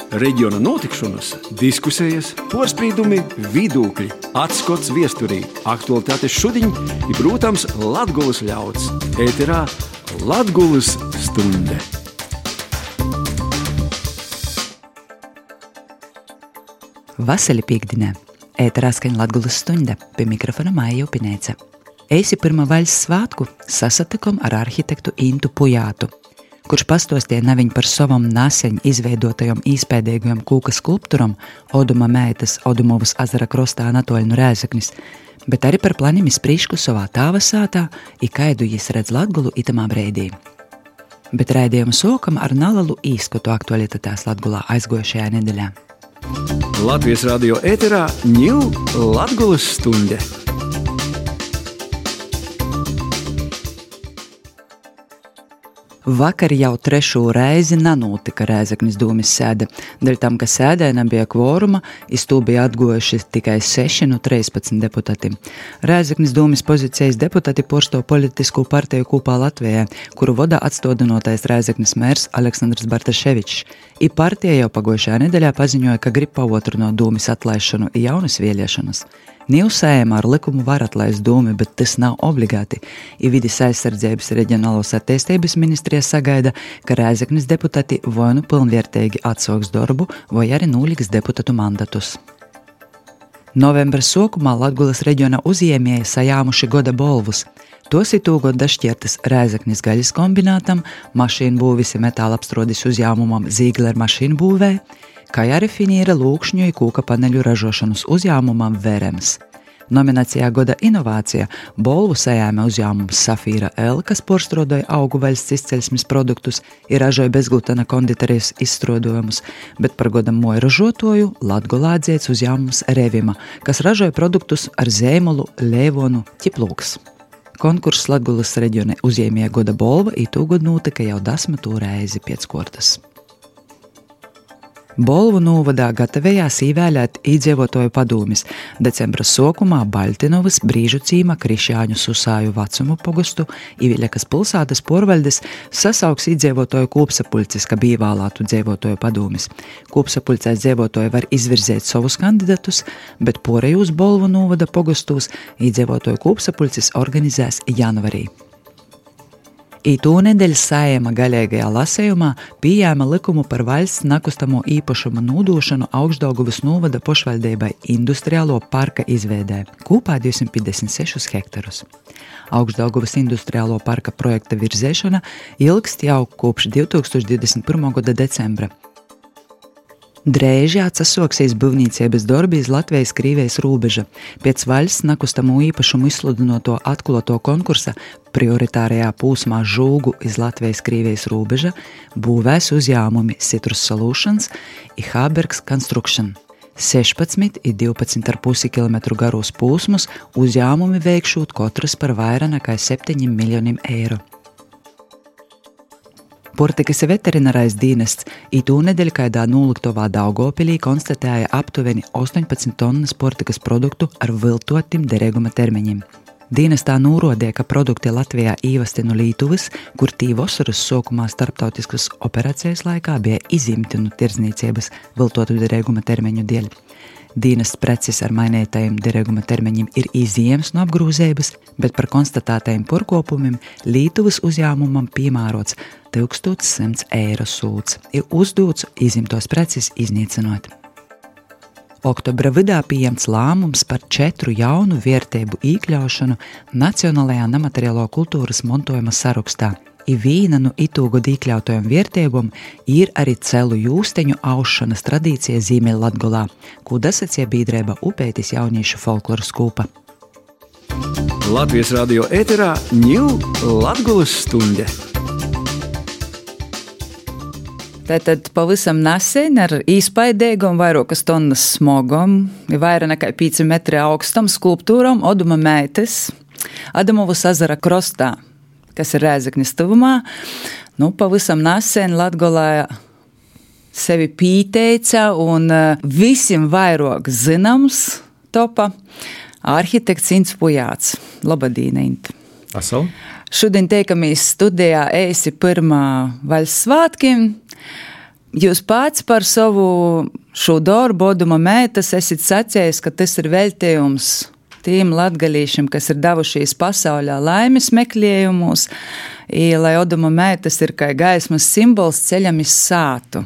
Reģiona notikšanas, diskusijas, porspīdumi, vidūkļi, atskots viesturī, aktualitātes šudiņ i, protams, Latgulas ļauds. Ēterā Latgulas stunde. Vasali piekdienā. Ēterā skaņ Latgulas stunde. Pie mikrofona Maija Upinēca. Eisi pirma vaļas svātku sasatikom ar arhitektu Intu Pujātu, kurš pastostīja naviņ par savam naseņ izveidotajam īspēdīgajam kūka skulpturam Oduma meitas Odumovas azara krostā Anatoļu no Rēzeknis, bet arī par planim izprīšku savā tāva sātā, i kaidu jis redz Latgulu itamā breidī. Bet raidījumu sokam ar nalalu īskatu aktualitātēs Latgulā aizgojušajā nedeļā. Latvijas radio ēterā ņū Latgulas stunde. Vakar jau trešo reizi nanūtika Rēzeknis dūmis sēde. Dēļ tam, ka sēdē nebija kvoruma, iz tū bija atgojuši tikai 6 no 13 deputati. Rēzeknis dūmis pozīcijas deputati porsto politisku partiju Kūpā Latvijā, kuru vodā atstodinotais Rēzeknis mērs Aleksandrs Bartaševičs. I partija jau pagojušajā nedeļā paziņoja, ka grib pavotrinot dūmis atlaišanu i jaunas vēlēšanas. Nīvsējumā ar likumu var atlaist dūmi, bet tas nav obligāti. I Vides aizsardzības reģionālos attīstības ministrija sagaida, ka Rēzeknis deputati vai nu pilnvērtīgi atsauks darbu, vai arī nūliks deputatu mandatus. Novembra sokumā Latgulas reģiona uzņēmēji sajāmuši goda bolvus. Tos itūgod dašķiertas Rēzeknis gaļas kombinātam, mašīnu būvis i metāla apstrodis uzņēmumam Zīgler mašīnu būvē, kā arī finīra lūkšņu i kūka paneļu ražošanas uzņēmumam Verems. Nominācijā goda inovācija bolvu sajāme uzņēmums Safīra L, kas porstrādoja augu valsts izcelsmes produktus i ražoja bezglutena konditorijas izstrādojumus, bet par goda moju ražotoju Latgulā atzīts uzņēmums Revima, kas ražoja produktus ar zīmolu Leivonu Ķiplūks. Konkurss Latgulas reģiona uzņēmēja goda bolva itūgod notika jau 10. reizi pēc kortas. Bolvu novadā gatavējās īvēlēt īdzīvotoju padūmis. Decembra sokumā Baļtinovas, Brīžu cīma, Krišjāņu Susāju Vacumu pogostu i Viļakas pilsētas porvaļdes sasauks īdzīvotoju kūpsapulcis, ka bija vēlētu dzīvotoju padūmis. Kūpsapulcēs dzīvotoji var izvirzēt savus kandidatus, bet porejūs Bolvu novada pogostūs īdzīvotoju kūpsapulcis organizēs janvarī. Itū nedēļas Saeima gaļīgajā lasējumā pieņēma likumu par valsts nakustamo īpašumu nūdošanu Augšdaugavas novada pošvaldībai industriālo parka izveidē, Kūpā 256 hektarus. Augšdaugavas industriālo parka projekta virzēšana ilgst jau kopš 2021. gada decembra. Drēži atsasoksīs būvniecības darbi iz Latvijas-Krīvijas rūbeža. Pēc valsts nakustamo īpašumu izsludinoto atkloto konkursa prioritārajā pūsmā Žūgu iz Latvijas-Krīvijas rūbeža būvēs uzņēmumi Citrus Solutions i Habergs Construction. 16 i 12,5 km garos pūsmus uzņēmumi veikšūt katrs par vairāk nekā 7 miljoniem eiro. Portikas veterinārais dienests itū nedēļ kaidā nūliktovā Daugavpilī konstatēja aptuveni 18 tonnas portikas produktu ar viltotim derīguma termiņiem. Dienestā nūrodēja, ka produkti Latvijā īvesti no Lītuvas, kur tī vasaras sokumā starptautiskas operācijas laikā bija izimti no tirdzniecības viltotu derīguma termiņu dēļ. Dienests preces ar mainētajiem derīguma termiņiem ir iziems no apgrūzības, bet par konstatētajiem porkopumiem Lītuvas uzņēmumam piemērots 1100 eiro sūds ir uzdots izimtos preces iznīcinot. Oktobra vidā pieņemts lēmums par 4 jaunu vērtību iekļaušanu Nacionālajā nemateriālo kultūras mantojuma sarakstā. I vīna no itūgod iekļautajām vērtībām ir arī celu jūsteņu aušanas tradīcija Ziemeļlatgolā, ko dasacīja biedrība Upeitis jauniešu folkloras kūpa. Latvijas radio ēterā ņū Latgulas stunde. Tātad pavisam nesen ar īspaidīgam vairākas tonnas smogam, vairāk nekā 5 metri augstam skulptūram Oduma meitas Odumovas azara krostā, kas ir Rēzeknis tuvumā. Pavisam nesen Latgolā sevi pīteica un visiem vairāk zināms topa arhitekts Ints Pujāts. Labadīna, Int. Asal. Šodien teikamies studijā eisi pirmā vaļas svātkiem. Jūs pats par savu šo darbu, Oduma meitas, esat sacījis, ka tas ir veltījums tiem latgalīšiem, kas ir devušies pasaulē laimes meklējumus, lai Oduma meitas ir kā gaismas simbols ceļam iz sātu.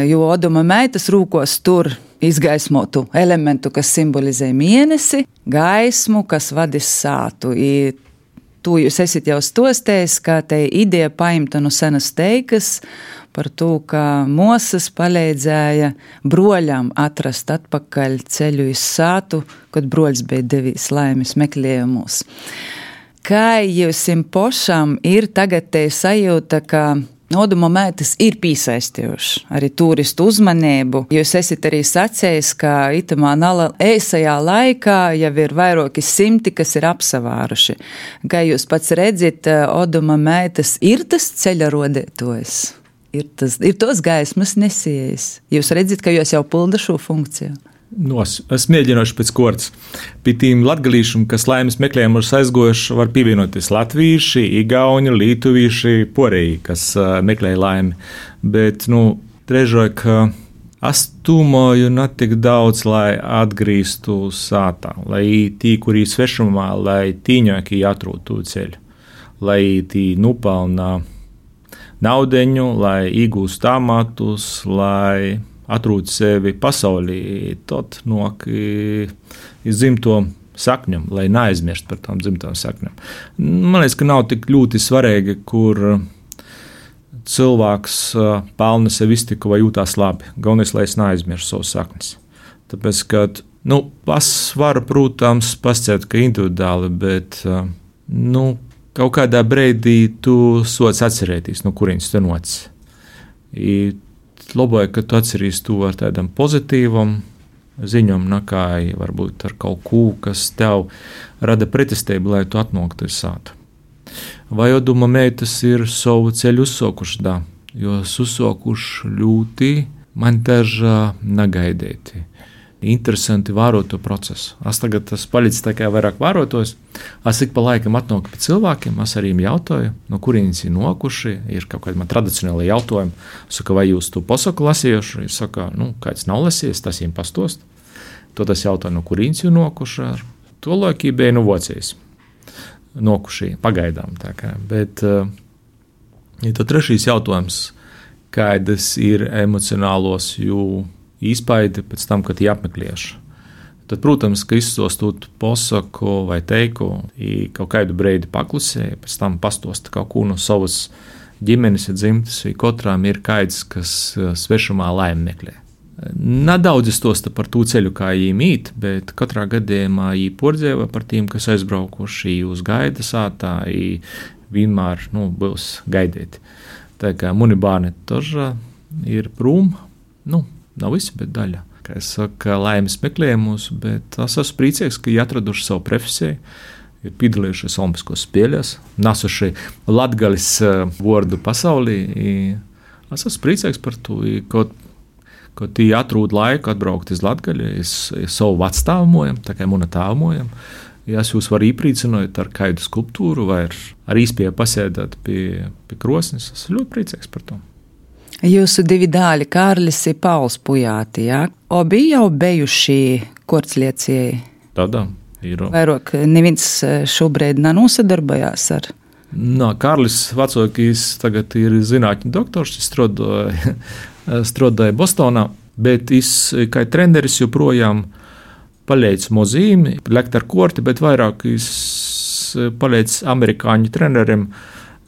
Jo Oduma meitas rūkos tur izgaismotu elementu, kas simbolizē mēnesi, gaismu, kas vadis sātu. To jūs esat jau stostējis, kā te ideja paimta no senas teikas par to, ka mosas palīdzēja broļam atrast atpakaļ ceļu iz sātu, kad broļs bija devīs laimes meklējumos. Kā jūsim pošam ir tagad te sajūta, ka Oduma meitas ir piesaistījuši arī turistu uzmanību. Jūs esat arī sacējis, ka itamā nala ēsajā laikā jau ir vairāki simti, kas ir apsavāruši. Kā jūs pats redzat, Oduma meitas ir tas ceļa rodētojs, ir tos gaismas nesējis. Jūs redzat, ka jūs jau pilda šo funkciju. Es mēģināšu pēc kortas. Pie tīm latgalīšiem, kas laimes meklējumus aizgojuši, var pievienoties latvīši, igauni, lietuvīši, porēji, kas meklēja laimi. Bet, trežoju, ka es tūmoju ne tik daudz, lai atgrīstu sātā, lai tī, kurī svešumā, lai tīņāki atrūtu to ceļu, lai tī nupelnā naudeņu, lai iegūst amatus, lai atrūt sevi pasaulī, tad nok iz dzimto sakņam, lai neaizmirst par tām dzimtām sakņam. Man liekas, ka nav tik ļoti svarīgi, kur cilvēks pelna sev iztiku vai jūtās labi. Galvenais, lai es neaizmirstu savus saknes. Tāpēc, ka, es varu, protams, pasciet, ka individuāli, bet, kaut kādā breidī tu sots atcerēties, no kurienes tu noc. Labi, ka tu atceries to ar tādam pozitīvam ziņam, nekā varbūt ar kaut ko, kas tev rada pretestību, lai tu atnāktu uz sātu. Vai Oduma meitas ir savu ceļu uzsākuši, da, jo uzsākuši ļoti man daži negaidīti. Interesanti vērot to procesu. Es tagad palicis tā kā vairāk vērotos. Es ik pa laikam atnāku pie cilvēkiem, es arī jautāju, no kurienes ir nokuši. Ir kaut kādi man tradicionāli jautājumi. Es saku, vai jūs to pasaku lasījuši? Es saku, kāds nav lasījis, tas viņiem pastost. To tas jautāju, no kurienes ir nokuši. To laikī bija Vācijas. Nokuši pagaidām. Tā kā. Bet tad trešais jautājums, kādas ir emocionālos izpaidi pēc tam, kad viņi apmeklējuši. Tad, protams, ka izsostot posaku vai teiku, kaut kādu breidi paklusēja, pēc tam pastosta kaut ko no savas ģimenes dzimtas, vai katrām ir kāds, kas svešumā laimi meklē. Nedaudz izstosta par to ceļu, kā viņi mīt, bet katrā gadījumā viņi pordzēva par tiem, kas aizbraukuši uz gaida sātā, vienmēr būs gaidīti. Tā kā muni bērni toža ir prūm, nav visi, bet daļa. Kā es saku, laimes meklējumus, bet es esmu priecīgs, ka viņi atraduši savu profesiju, ir piedalījušies Olimpiskos spēlēs, nesuši latgalis vārdu pasaulī. Es esmu priecīgs par to, ka viņi atrod laiku atbraukt iz Latgali, iz savu vecstāvmojam, tā kā muna tāvmojam. Ja es jūs varu iepriecināt ar kādu skulptūru vai ar īspēju pasēdēt pie krosnes, es ļoti priecīgs par to. Jūsu divi dāļi, Kārlis un Pauls Pujāti, jā? Obi jau bijuši kortsliecēji? Tādā ir. Vairāk neviens šobrīd nenosadarbojās ar? Kārlis vecākais tagad ir zinātņu doktors, strādāja Bostonā, bet es kā treneris joprojām palīdzu mozīmi, lekt ar korti, bet vairāk es palīdzu amerikāņu treneriem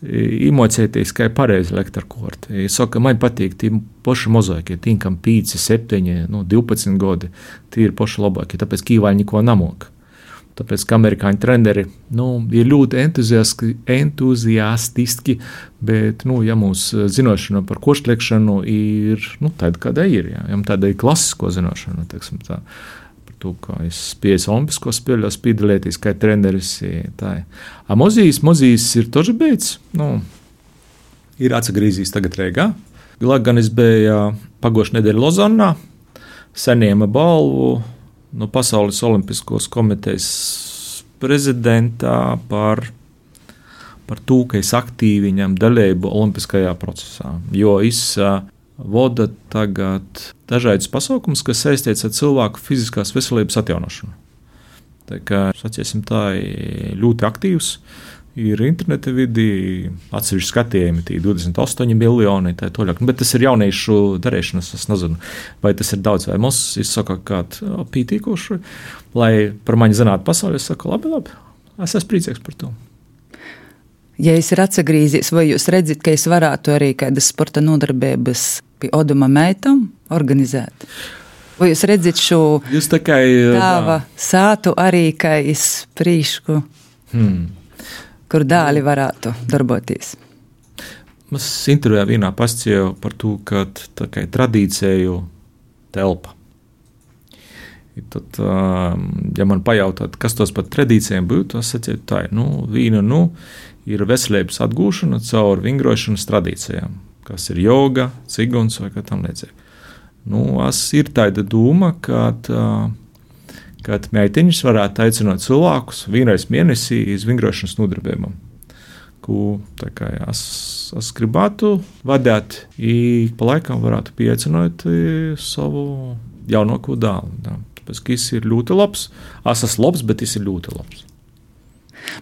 iemācīties, kā pareizi lekt ar korti. Es saku, man patīk tie paši mozaikie, tie, kam 5, 7, 12 gadi, tie ir paši labākie, tāpēc Kīvāļi neko nemok. Tāpēc, ka amerikāņu treneri ir ļoti entuziastiski, bet, ja mūsu zināšana par koštliekšanu ir tāda, kāda ir, ja tāda ir klasisko zināšana, teiksim tā. To, kā es spēju Olimpiskos spēļos piedalīties kā treneris. Mozijs ir toži beidz. Ir atsagrīzījis tagad Rīgā. Gan es biju pagošu nedēļu Lozannā, saņēma balvu no Pasaules Olimpiskos komitejas prezidentā par to, ka es aktīvi ņem dalību olimpiskajā procesā. Jo es vada tagad dažādus pasākumus, kas saistīts ar cilvēku fiziskās veselības atjaunošanu. Tā kā, saciesim, tā ir ļoti aktīvs. Ir interneta vidi, atsevišķi skatījumi, 28 miljoni, tā toļāk. Bet tas ir jauniešu darīšanas, es nezinu, vai tas ir daudz vai maz. Es saku, kādu pītīkošu, lai par mani zinātu pasauli, es saku, labi, es esmu priecīgs par to. Ja es ir atsagrīzies, vai jūs redzat, ka es varētu arī kādas sporta nodarbības pie Oduma meitam organizēt? Vai jūs redzat šo tāva sātu arī, ka es prīšku? Kur dāļi varētu darboties? Mēs intervijā vienā pastāstīju par to, ka tā kā tradīciju telpa. I tad, ja man pajautāt, kas tos par tradīcijiem būtu, es sacītu tā, viena ir veselības atgūšana caur vingrošanas tradīcijām, kas ir joga, ciguns vai kā tam līdzīgi. Es ir tāda doma, kad meitiņas varētu aicināt cilvēkus vienreiz mēnesī uz vingrošanas nodarbībām, ko es gribētu vadīt, pa laikam varētu pieaicināt savu jaunāko dēlu. Tāpēc, ka viņš ir ļoti labs. Es esmu labs, bet viņš ir ļoti labs.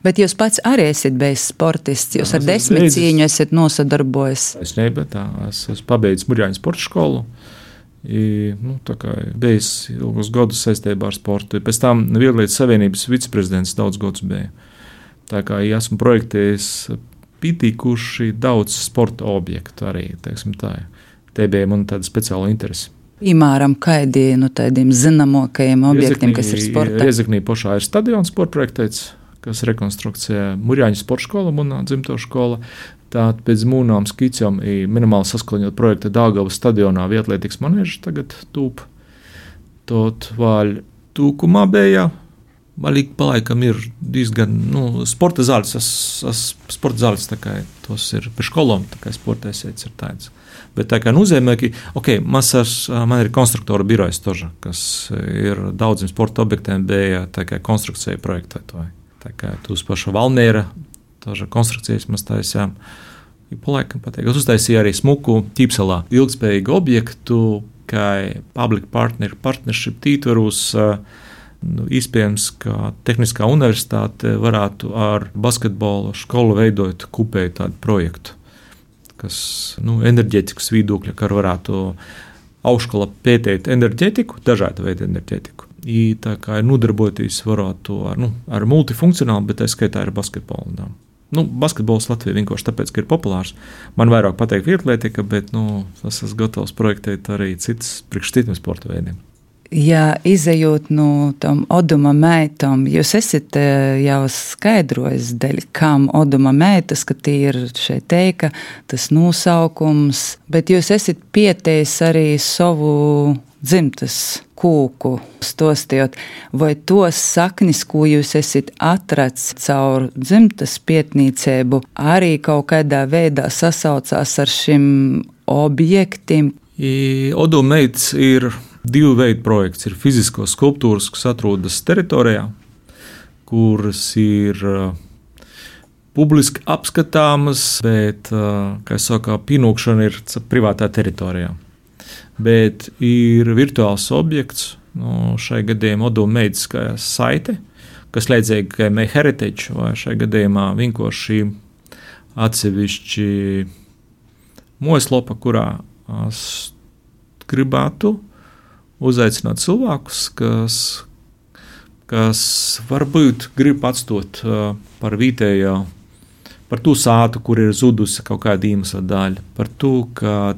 Bet jūs pats arī esat bijis sportists, jūs ar 10 cīņu esat nosadarbojies. Es esmu pabeidzis Murjāņu sporta skolu. Bijis ilgus gadus saistībā ar sportu. Pēc tam Vieglietu savienības viceprezidents daudz gadus bija. Tā kā esmu projektējis pietikuši daudz sporta objektu arī, teiksim tā. Te bija man tāda speciāla interese. Piemēram, kādi no tādiem zināmākajiem objektiem, kas ir sportā? Riezeknī pašā ir stadions sporta projektēts, kas rekonstrukcijā Murjāņu sporta skola, manā dzimto skola. Tātad pēc mūnām skicām minimāli saskaņot projekta Daugavas stadionā vietlietīgs manēžs tagad tūp. Tot vēl tūkumā bija, valīgi palaikam ir diezgan, sporta zāles, sporta zāles tā kā tos ir pie školom, tā kā sportēsēts ir tāds. Bet tā kā nozīmē, ka, man ir konstruktora birojas toža, kas ir daudziem sporta objektiem bija tā kā konstrukcija projektētoja. Tā kā tūs paša Valmiera, toža konstrukcijas mēs taisījām. Palaikam pateik. Es uztaisīju arī smuku Ķīpselā ilgspējīgu objektu, kā public partnership tītvarus. Iespējams, ka Tehniskā universitāte varētu ar basketbola skolu veidot kopēju tādu projektu, kas enerģētikas viedokļa, kā varētu augšskola pētīt enerģētiku, dažādu veidu enerģētiku. Tā kā ir nodarboties varētu ar multifunkcionālu, bet tā skaitā ir basketbolu. Basketbols Latvijā vienkārši tāpēc, ka ir populārs. Man vairāk patīk vietlietika, bet es esmu gatavs projektēt arī citas priekš citiem sporta veidiem. Ja izejot no tam Oduma meitam, jūs esat jau skaidrojis, kam Oduma meitas, ka tie ir šeit teika, tas nosaukums, bet jūs esat pieteicis arī savu dzimtas kūku stostījot, vai tos saknis, ko jūs esat atrads caur dzimtas pietnīcību, arī kaut kādā veidā sasaucās ar šim objektiem? Oduma meitas ir divu veidu projekts. Ir fiziskos skulptūras, kas atrodas teritorijā, kuras ir publiski apskatāmas, bet, kā es saku, pienākšana ir privātā teritorijā. Bet ir virtuāls objekts, šai gadījumā Oduma meitas kā saite, kas līdzīgi kā MyHeritage, vai šai gadījumā vienkārši atsevišķi mājaslapa, kurā es gribētu uzaicināt cilvēkus, kas varbūt grib atstāt par vietējo, par to sātu, kur ir zudusi kaut kāda iemesla daļa, par to, ka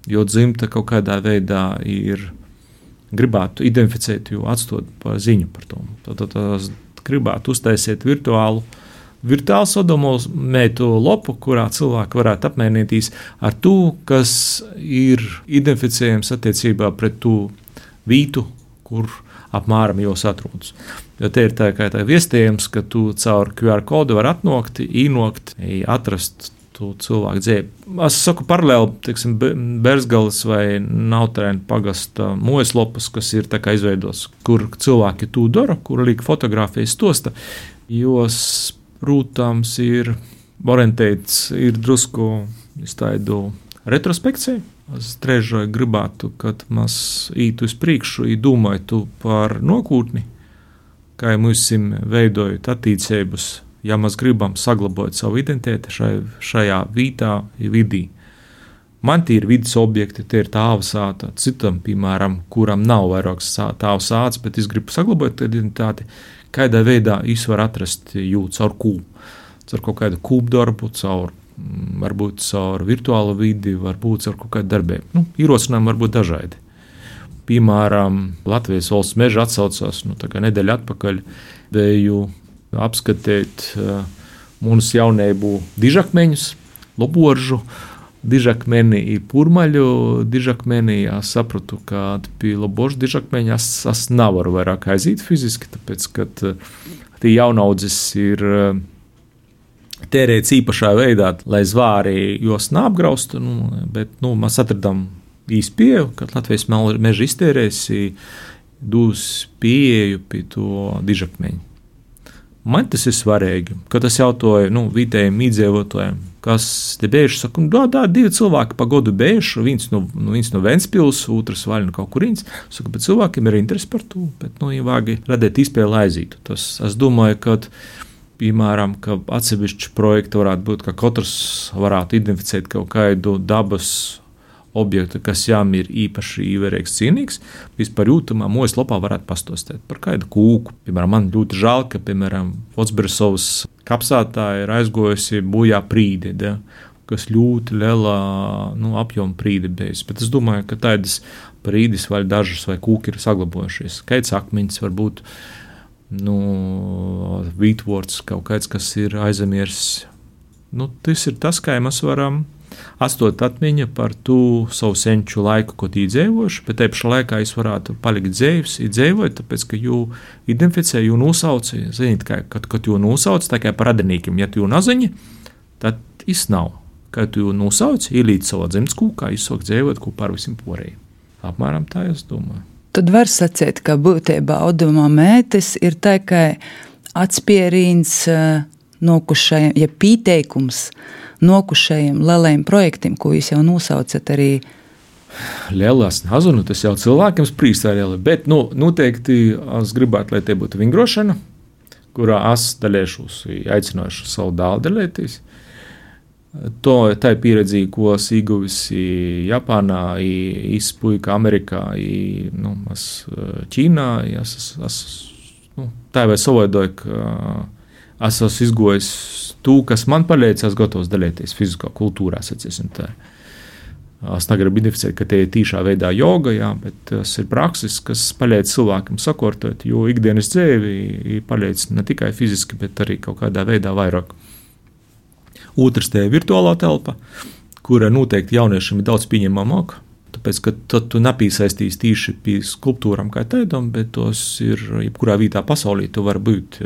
jo dzimta kaut kādā veidā ir gribētu identificēt, jo atstāt par ziņu par to. Tad gribētu uztaisīt virtuālu Oduma meitu lopu, kurā cilvēki varētu apmainīties ar to, kas ir identificējams attiecībā pret to vietu, kur apmēram jūs atrodas. Jo te ir tā kā tā viestījums, ka tu caur QR kodu var atnākt, īnokt, atrast to cilvēku dzīvi. Es saku paralēli, teiksim, Berzgalas vai Nautrēna pagasta mājaslapas, kas ir tā kā izveidos, kur cilvēki to dara, kur liek fotografijas stosta, jos, protams, ir orientēts, ir drusku tādu retrospekcija. Es trešai gribētu, kad mēs ītu uz priekšu, domātu par nākotni, kā mēs veidojam attiecības, ja mēs gribam saglabāt savu identitāti šajā vietā, vidī. Man tie ir vidas objekti, tie ir tāva sāta, citam, piemēram, kuram nav vairāks tāva sāts, bet es gribu saglabāt identitāti, kādā veidā es varu atrast jūtu caur kūpu, caur kaut kādu kūpdarbu, varbūt caur virtuālu vidi, varbūt caur kaut kādu darbību. Ierosinājumi var būt dažādi. Piemēram, Latvijas valsts meža atsaucās, nedēļa atpakaļ vēju apskatīt mūsu jaunību dižakmeņus, loboržu, dižakmeni i purmaļu dižakmeni. Es sapratu, ka pie loboržu dižakmeņa es nevaru vairāk aiziet fiziski, tāpēc, ka tie jaunaudzes ir tērēts īpašā veidā, lai zvāri jos neapgraustu, bet mēs atradām īsti pieeju, kad Latvijas meža iztērēsi dūs pieeju pie to dižakmeņu. Man tas ir svarīgi, kad es jautāju vietējiem iedzīvotājiem, kas te bējuši, saku, divi cilvēki pa godu bējuši, viens no Ventspils, otrs vaļ no kaut kurīns, saku, bet cilvēkiem ir interesi par to, bet vāgi radēt izpēli aizītu. Es domāju, ka piemēram, ka atsevišķi projekti varētu būt, ka katrs varētu identificēt kaut kādu dabas objektu, kas jām ir īpaši īvērīgs cienīgs, vispār jūtamā mūjas lopā varētu pastostēt par kādu kūku. Piemēram, man ļoti žēl, ka, piemēram, Votsberesovas kapsātā ir aizgojusi bojā prīde, kas ļoti lielā apjoma prīde bijis. Bet es domāju, ka tādas prīdes vai dažas vai kūki ir saglabojušies. Kāds akmeņs var būt, vītvorts, kaut kāds, kas ir aizemiers. Tas ir tas, kā mēs varam atstot atmiņa par to savu senču laiku, ko tī dzīvojuši, bet te pašā laikā es varētu palikt dzīvs, dzīvot, tāpēc, ka jū identificē, jū nosauci, zinīt, kad jū nosauci, tā kā par radinīkiem, ja tu jū nazaņi, tad es nav. Kad tu jū nosauci, ielīdz savā dzimtas kūkā, izsāk dzīvot kopā ar visiem porējiem. Apmēram tā es domāju. Tad var sacīt, ka būtībā Oduma mētes ir tā kā atspierīns nokušajiem, ja pīteikums nokušajiem lielajiem projektiem, ko jūs jau nosaucat arī. Lielās nezinu, tas jau cilvēkiem sprīst ar lieli, bet noteikti es gribētu, lai te būtu vingrošana, kurā es dalēšos, aicināšu savu dēlu dalēties. Tā ir pieredze, ko es ieguvis Japānā, izpuika Amerikā, Ķīnā. Tā jau savaidoju, ka es esmu izgojis to, kas man palīdz, es gatavs dalīties fiziskā kultūrā, sacīsim tā. Es negribu identificēt, ka te ir tīšā veidā joga, bet tas ir praksis, kas palīdz cilvēkam sakortot, jo ikdienas dzīvi palīdz ne tikai fiziski, bet arī kaut kādā veidā vairāk. Otrs te ir virtuālā telpa, kura noteikti jauniešiem ir daudz pieņemamāka, tāpēc, ka tad tu nepiesaistīs tīši pie skulptūram kā tādam, bet tos ir, jebkurā vietā pasaulī tu var būt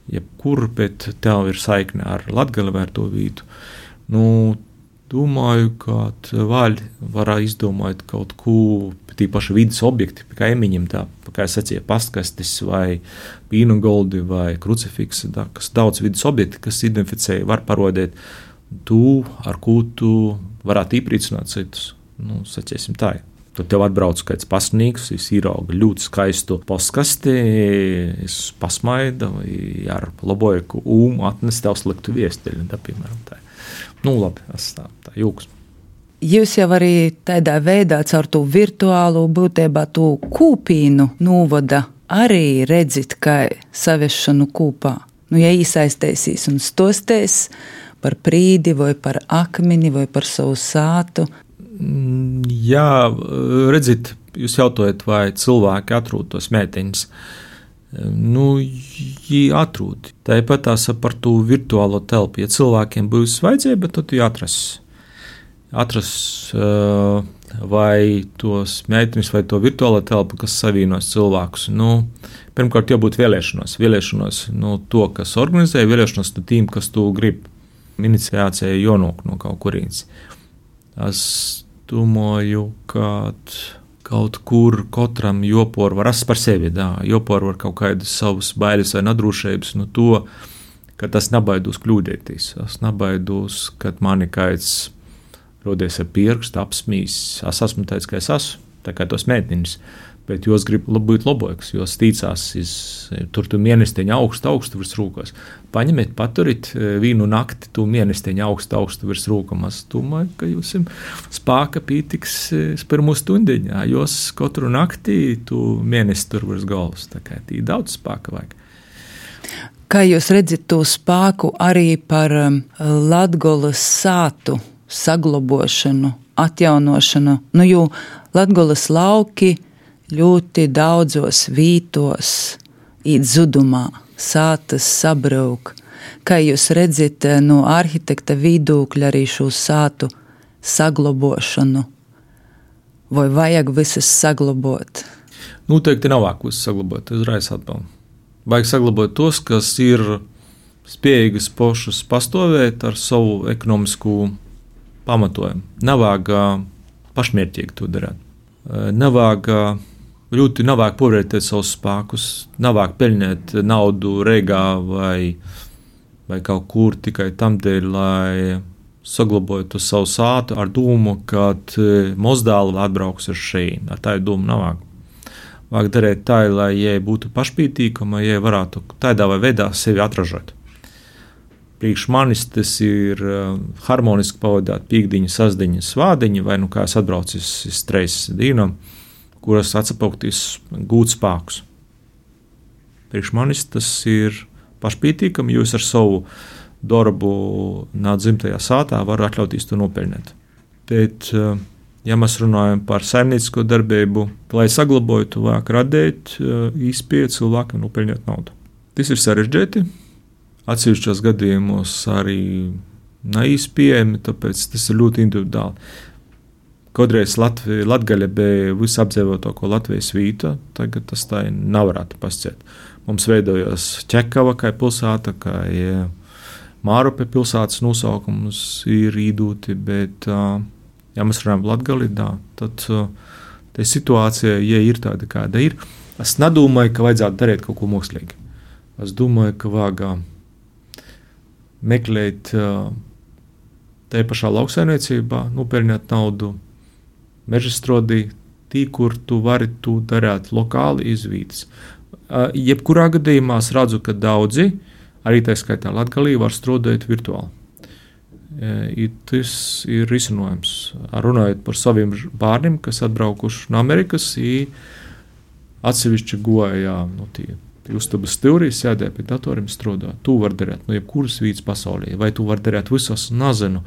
jebkur, bet tev ir saikne ar Latgali vai ar to vietu. Domāju, ka vēl var izdomāt kaut ko, tīpaši vidas objekti, kā emiņiem, tā, kā es sacīju, pastkastis vai pīnugoldi vai krucifiksi, kas daudz vidas objekti, kas identificēja, var parodēt to, ar ko tu varētu iepriecināt citus. Sacīsim tā. Tad tev atbrauc kāds pasnīgs, es īraugu ļoti skaistu postkasti, es pasmaida vai ar labojeku atnes tev sliktu viesteļu, piemēram tā. Labi, es tā jūks. Jūs jau arī tādā veidā caur to virtuālu būtībā to kūpīnu novada arī redzit, kā saviešanu kūpā. Ja iesaistēsīs un stostēs par prīdi vai par akmeni vai par savu sātu. Jā, redzit, jūs jautājat, vai cilvēki atrod tos mēteņus. Viņi atrod. Tāpat tās par to virtuālo telpu. Ja cilvēkiem būs vajadzība, tad viņi atras vai tos mēteņus, vai to virtuālo telpu, kas savīnos cilvēkus. Pirmkārt, jābūt vēlēšanos to, kas organizē, vēlēšanos no tīm, kas to grib. Iniciācija jānāk no kaut kurienes. Es domāju, ka kaut kur katram jopor var rast par sevi, jopor var kaut kādas savas bailes vai nadrūšības no to, ka tas nebaidos kļūdēties. Es nebaidos, kad mani kāds rodies ar pirkstu, apsmīs. Es esmu teicis, ka es esmu, tā kā tos mētniņus, bet jūs grib būt lobojaks, jūs tīcās, tur tu mienesteņu augstu virs rūkos. Paņemiet, paturit vīnu nakti, tu mienesteņu augstu virs rūkam. Es domāju, ka jūs spāka pītiks pirmo stundiņā, jūs katru nakti tu mienesti tur virs galvas, tā kā tī daudz spāka vajag. Kā jūs redzat to spāku arī par Latgolas sātu saglobošanu, atjaunošanu, jo Latgolas lauki ļoti daudzos vītos īt zudumā, sātas sabrauk. Kā jūs redzat no arhitekta vidūkļa arī šo sātu saglobošanu? Vai vajag visas saglabot? Noteikti nav vajag visas saglabot, uzreiz atbaldu. Vajag saglabot tos, kas ir spējīgas pošas pastāvēt ar savu ekonomisku pamatojumu. Nevajag pašmērķīgi to darīt. Ļoti nevajag povērtēt savus spēkus, nevajag peļņēt naudu Reigā vai kaut kur tikai tam dēļ, lai saglabotu savu sātu ar domu, ka mozdāli atbrauks ar šeit. Ar tādu domu nevajag. Vajag darīt tā, lai jai būtu pašpītīkama, jai varētu tādā vai veidā sevi atražot. Priekš manis tas ir harmoniski pavadāt pīkdiņu, sasdiņu, svādiņu, vai kā es atbraucu uz treis dīnam, kuras atsapaugtīs gūt spēkus. Priekš manis tas ir pašpītīkami, jūs ar savu darbu nāc dzimtajā sātā var atļauties to nopeļņēt. Bet, ja mēs runājam par saimniecisko darbību, lai saglabotu, vajag radīt īspēju cilvēkam nopeļņot naudu. Tas ir sarežģīti, atsevišķos gadījumos arī neīspējami, tāpēc tas ir ļoti individuāli. Kodreiz Latgaļa bija visapdzīvotāko Latvijas vīta, tagad tas tā nevarētu pasciet. Mums veidojās Ķekava kā pilsēta, kā Mārupe pilsētas nosaukums ir īdūti, bet, ja mēs runājam Latgali, tad tā situācija, ja ir tāda, kāda ir, es nedomāju, ka vajadzētu darīt kaut ko mākslīgi. Es domāju, ka vajag meklēt tajā pašā lauksaimniecībā, nopeļņot naudu, mežastrodī, tī, kur tu vari to darīt lokāli izvītas. Jebkurā gadījumā es redzu, ka daudzi, arī tā skaitā Latgalī, var strādāt virtuāli. Tas ir risinājums. Runājot par saviem bērniem, kas atbraukuši no Amerikas, atsevišķi goja, uztabas stūrī, sēdēja pie datoriem strādā. Tu var darīt no jebkuras vītas pasaulē, vai tu var darīt visos, nezinu,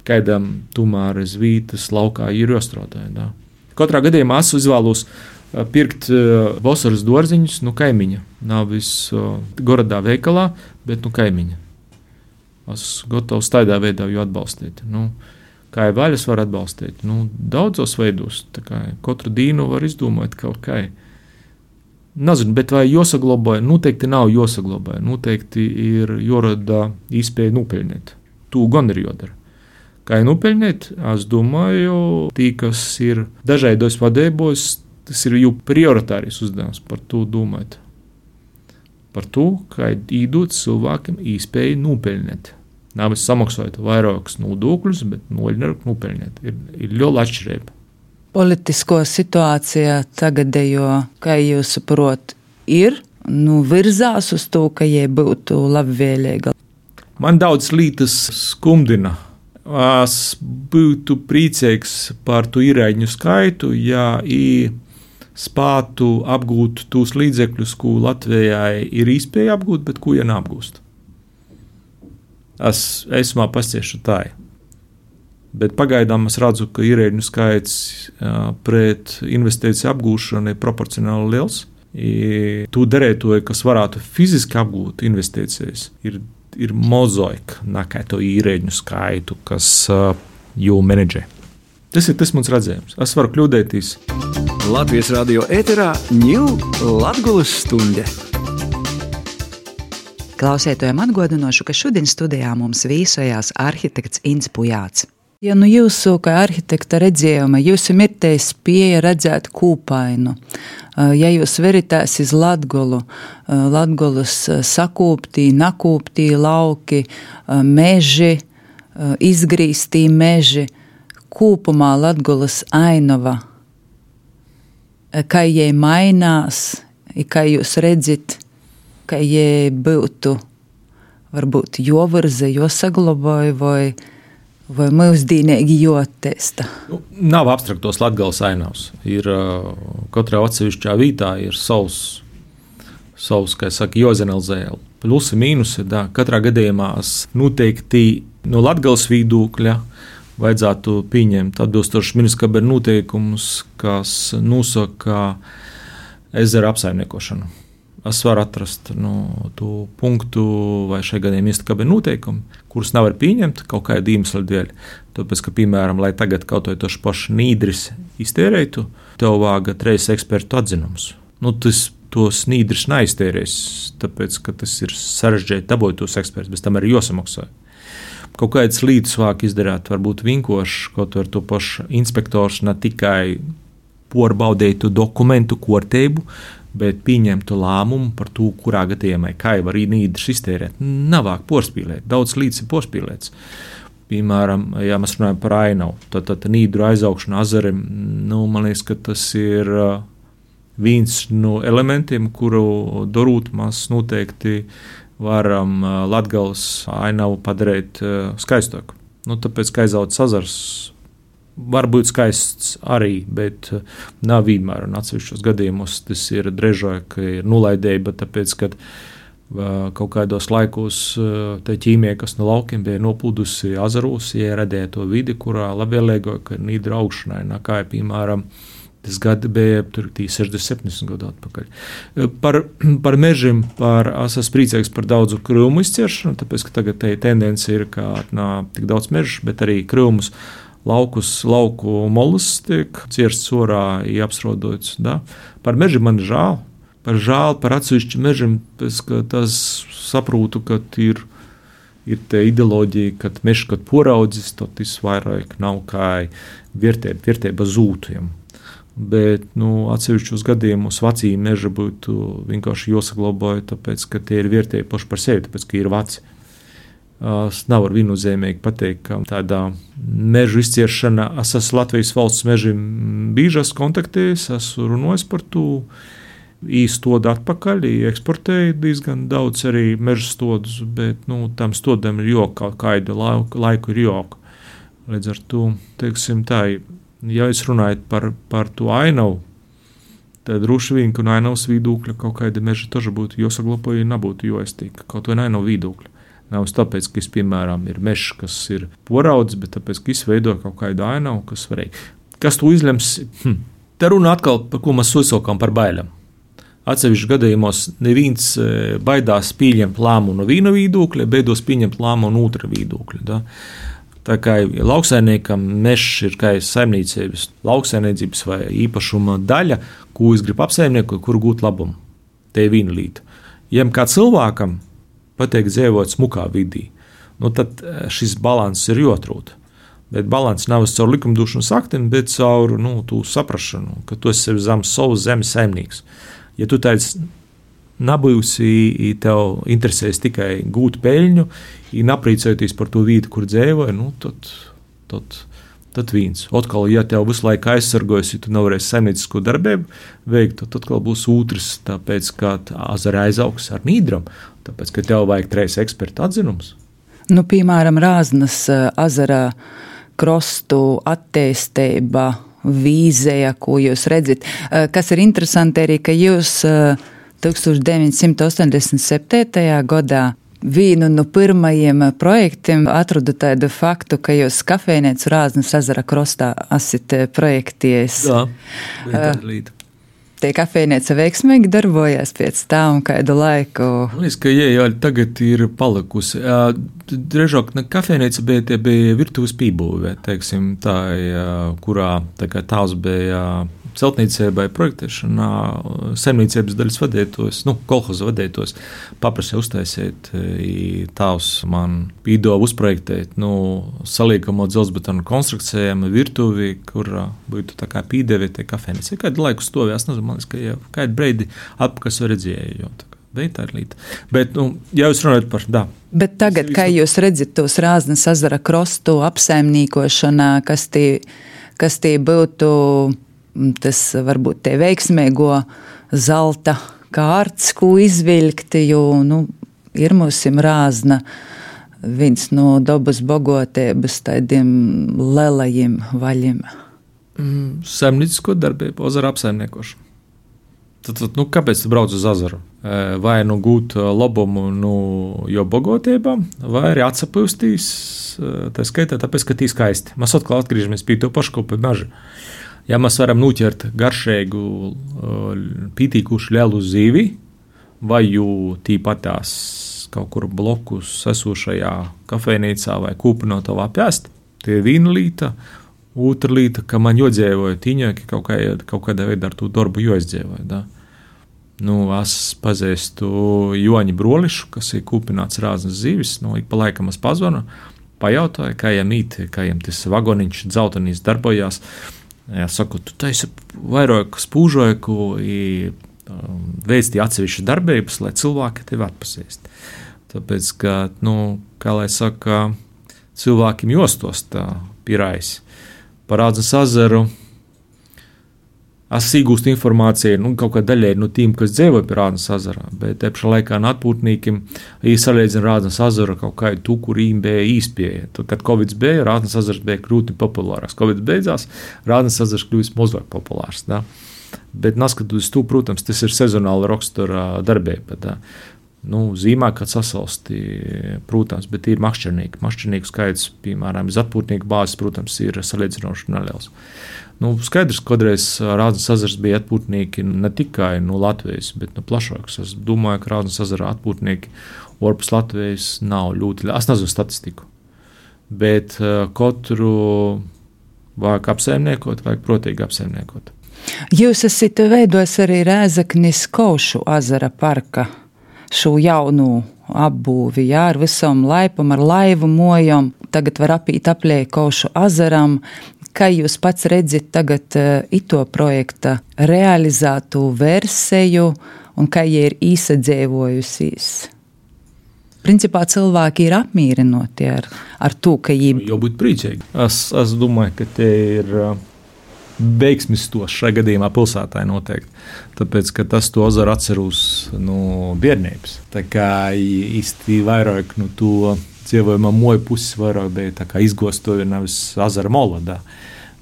kādam tomēr iz vītas laukā ir jāstrādā. Katrā gadījumā es izvēlos pirkt vasaras dārziņus no kaimiņa. Nevis gorodā veikalā, bet no kaimiņa. Es gatavs tādā veidā jau atbalstīt. Kā jau vaļas var atbalstīt? Daudzos veidos. Katru dienu var izdomāt kaut kā. Nezinu, bet vai jāsaglabāja? Noteikti nav jāsaglabāja. Noteikti ir jārada īspēja nopeļņēt. Tu gan ir jādara. Kā jau nopeļņēt, es domāju, tī, kas ir dažādos vadībos, tas ir jau prioritāris uzdevums par to domāt. Par to, kā īdot cilvēkiem īspēju nopeļņēt. Nevis samaksājot vairākus nodokļus, bet nopeļņēt. Ir liela atšķirība. Politisko situācijā tagadējo, kā jūs saprot, ir virzās uz to, ka jai būtu labvēlīga. Man daudz lietas skumdina. Es būtu priecīgs par to ierēģņu skaitu, ja spētu apgūt tos līdzekļus, ko Latvijai ir iespēja apgūt, bet ko ja neapgūst. Es esmā pasciešu tā. Bet pagaidām es redzu, ka ierēģņu skaits pret investīciju apgūšanu ir proporcionāli liels. Tu darētoji, kas varētu fiziski apgūt investīcijas, ir mozaika, nekā to īrēģņu skaitu, kas jau menedžē. Tas ir tas mans redzējums. Es varu kļūdēties. Latvijas radio ēterā ņū Latgolas stunde. Klausētojiem atgādināšu, ka šodien studijā mums viesojās arhitekts Inns Pujāts. Ja jūsu kā arhitekta redzējuma, jums ir tā spēja redzēt kūpainu, ja jūs veritās iz Latgolu, Latgolas sakūptī, nakūptī lauki, meži, izgrīstī meži, kūpumā Latgulas ainava, kā jai mainās, kā jūs redzat, kā jai būtu, varbūt jovirza, josaglabāja vai mūsdīnīgi joattīsta? Nav abstraktos Latgales ainavs. Ir katrā atsevišķā vītā ir savs, kā saka, jozenalizē. Plusi, mīnusi, katrā gadījumā noteikti no Latgales viedokļa vajadzētu pieņemt atbilstoši ministra kabineta noteikumus, kas nosaka ezera apsaimniekošanu. Es varu atrast to punktu, vai šai gadījumā ministra kabineta noteikumi, kurus nevar pieņemt kaut kāda iemesla dēļ. Tāpēc, ka, piemēram, lai tagad kaut vai toši paši nīdris iztērētu, tev vāga 3 ekspertu atzinums. Tos nīdris neiztērēs, tāpēc, ka tas ir sarežģīti dabūt tos ekspertus, bez tam arī jāsamaksā. Kaut kādas lietas vāk izdarīt, varbūt vinkoši, kaut ar to pašu inspektors ne tikai porbaudētu dokumentu kārtību, bet pieņemtu lēmumu par to, kurā gadījumā kā var nīdris iztērēt. Nav vāk porspīlēt, daudz lietas ir porspīlēts. Piemēram, ja mēs runājam par ainavu, tad nīdru aizaugšanu azarim, man liekas, ka tas ir viens no elementiem, kuru darot mēs noteikti varam Latgales ainavu padarīt skaistāku. Tāpēc, ka aizauts azars var būt skaists arī, bet nav vienmēr. Un atsevišķos gadījumos tas ir drežāk, ka ir nulaidība, tāpēc, ka kaut kādos laikos te ķīmija, kas no laukiem bija noplūdusi azaros, ja radīja to vidi, kurā labvēlīgāk, ka ir nīdra augšanai, kā piemēram, tas gadi bija 60-70 gadu atpakaļ. Par mežiem es esmu priecīgs par daudzu krūmu izciršanu, tāpēc, ka tagad tendence ir, ka tik daudz mežu, bet arī krūmus lauku molus tiek cirsts orā, apsrodots. Par mežiem man žēl. Par atsevišķu mežiem, pēc, ka tas saprotu, ka ir te ideoloģija, ka mežs, kad poraudzis, tad tas vairāk nav kā vērtība zūtiem. Bet atsevišķos gadījumos vecī meža būtu vienkārši jāsaglabāja, tāpēc, ka tie ir vērtēji paši par sevi, tāpēc, ka ir veci. Es nevaru viennozīmīgi pateikt, ka tādā mežu izciršana, es esmu Latvijas valsts mežiem biežas kontaktējis, esmu runājis par to, īstodu atpakaļ, eksportēju diezgan daudz arī meža stodus, bet tam stodam ir joka, kādu laiku ir joka. Līdz ar to, teiksim tā, ja es runāju par to ainavu, tad droši vien, ka no ainavas viedokļa kaut kāda meža taža būtu jāsaglabāja, nebūtu jāiztīk, kaut vai ainavu viedokļa. Nav tāpēc, ka, piemēram, ir mežs, kas ir poraudzis, bet tāpēc, ka izveido kaut kādu ainavu, kas varēja. Kas to izlems? Te runa atkal, par ko mēs uzsākām par bailēm. Atsevišķos gadījumos neviens baidās pieņemt lēmumu no viena viedokļa, beidos pieņemt lēmumu no otra viedokļa. Da? Tā kā lauksaimniekam mežs ir kā saimniecības, lauksaimniecības vai īpašuma daļa, ko es gribu apsaimniekot, kur gūt labumu. Te ir viena lieta. Ja kā cilvēkam pateikt dzīvot smukā vidī, tad šis balanss ir jāatrod. Bet balanss nav caur likumdošanas aktiem, bet caur tu saprašanu, ka tu esi zem savas zemes saimnieks. Ja tu tāds nabūsi, tev interesēs tikai gūt peļņu, aprīcojoties par to vītu, kur dzīvoja, tad viens. Otkal, ja tev visu laiku aizsargojas, ja tu nevarēsi saimniecisko darbību veikt, tad atkal būs otrs, tāpēc, ka azara aizaugs ar nīdram, tāpēc, ka tev vajag 3 ekspertu atzinums. Piemēram, Rāznas azara krostu attīstība, vīzija, ko jūs redzat. Kas ir interesanti arī, ka jūs 1987. gadā vienu no pirmajiem projektiem atradu tādu faktu, ka jūs kafejnīcu Rāznas ezera krostā esat projektējis. Jā, tāda līta. Tie kafejnīca veiksmīgi darbojās pēc tā un kādu laiku? Liekas, ka jā, tagad ir palikusi. Drēžāk, kafejnīca bija virtuves pībūvē, teiksim, tā, kurā tā kā tās bija celtniecībai projektēšanā, saimniecības daļas vadētos, kolhoza vadētos, paprasīja uztaisīt, tās man pīdova uzprojektēt, saliekamo dzelzbetonu konstrukcijām virtuvi, kur būtu tā kā pīdevi tie kafejnīca. Kādu laiku stovē, es nezinu, man liekas, ka jau kādu breidi atpakaļ redzēju, jo Bet tā ir līta. Bet, ja jūs runājat par, Bet tagad, kā jūs redzat tos Rāznas ezera krostu apsaimniekošanā, kas tie būtu tas varbūt te veiksmīgo zelta kārts, ko izvilkt, jo, ir mūsim Rāzna viens no dabas bagotības tādiem lelajiem vaļiem. Saimniecisko darbību, ezera apsaimniekošanu. Tad, kāpēc tu brauc uz ezeru? Vai gūt labumu jo bagotībām, vai arī atsapūstīs, tā skaitā, tāpēc, ka tī skaisti. Mēs atkal atgriežamies pie to pašu, ko pie meža. Ja mēs varam noķert garšīgu, pītīkušu lielu zīvi, vai jū tīpatās kaut kur blokus esošajā kafejnīcā vai kūpinotavā pēst, tie ir viena līta. Otra līta, ka man jodzēvoja tīņāki kaut kādā veidā ar to darbu joizdēvoja. Da? Es pazīstu Joņu Brolišu, kas ir kūpināts Rāznas zīvis. Ik pa laikam es pazvanu, pajautāju, kā jām īt, kā jām tas vagoniņš dzeltenīs darbojās. Ja saku, tu taisi vairāk spūžoju, veic tie atsevišķas darbības, lai cilvēki tevi atpazīst. Tāpēc, ka, kā lai saka, cilvēkiem jostos tā pirais. Par Rāznas ezeru es iegūstu informāciju kaut kā daļai no tiem, kas dzīvo pie Rāznas ezera, bet te pašā laikā atpūtniekiem salīdzina Rāznas ezeru kaut kā tu, kur viņiem bija īspēja. Tad, kad Covid bija, Rāznas ezers bija krūti populārs. Covid beidzās, Rāznas ezers kļūst mazāk populārs. Da? Bet neskatoties to, protams, tas ir sezonāla rakstura darbība. Da? Zīmē, kad sasalsti, protams, bet ir makšķernieki. Makšķernieku skaits, piemēram, iz atpūtnieku bāzes, protams, ir salīdzinoši neliels. Skaidrs, ka kādreiz Rāznas ezers bija atpūtnieki ne tikai no Latvijas, bet no plašākas. Es domāju, ka Rāznas ezera atpūtnieki orpus Latvijas nav ļoti. Es nezinu statistiku, bet katru vajag apsaimniekot, vajag protīgi apsaimniekot. Jūs esat veidojis arī Rēzeknis Kaušu ezera parka šo jaunu apbūvi, ar visam laipam, ar laivu mojam. Tagad var apīt aplēj Kaušu ezeram. Kā jūs pats redzat tagad ito projekta realizētu versiju un kā jie ir īsadzēvojusies? Principā cilvēki ir apmīrinoti ar to, ka jī... Jau būt priecīgi. Es domāju, ka te ir veiksmis tos šajā gadījumā pilsētā noteikti. Tāpēc, ka tas to ezeru atceros no bērnības. Tā kā īsti vairāk no to dzīvojumā moju puses vairāk bija tā kā izgostoja nevis ezera molodā.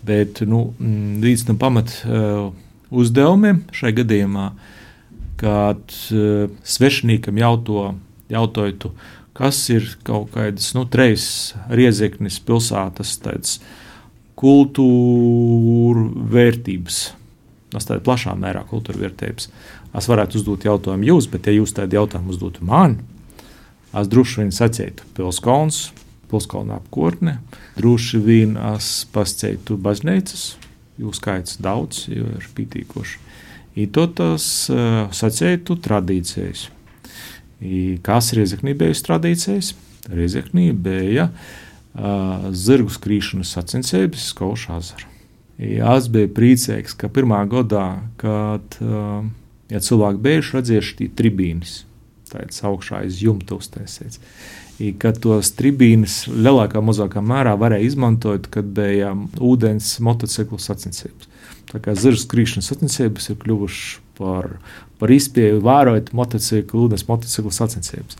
Bet, līdz tam pamat uzdevumiem šajā gadījumā, kad svešiniekam jautātu, kas ir kaut kādas, trejas Riezeknis pilsētas tāds kultūra vērtības. Tas tāda plašā mērā kultūra vērtības. Es varētu uzdot jautājumu jūs, bet ja jūs tādu jautājumu uzdotu man, es droši vien sacītu Pilskalns, Pilskalna apkārtne, droši vien es pasacītu baznīcas, jo skaits daudz, jo ir pītīkoši. I to tas sacītu tradīcijas. Kas Riezeknī bija tradīcijas? Riezeknī bija zirgu skrīšanas sacensības Kaušu ezeru. Es biju priecīgs, ka pirmā gadā, kad cilvēki bijuši redzējuši tī tribīnes, tāds augšā aiz jumta uztaisīts, kad tos tribīnes lielākā mazākā mērā varēja izmantot, kad bija ūdens motociklu sacensības. Tā kā zirgu skrīšanas sacensības ir kļuvuši par izpēju vērot ūdens motociklu sacensības.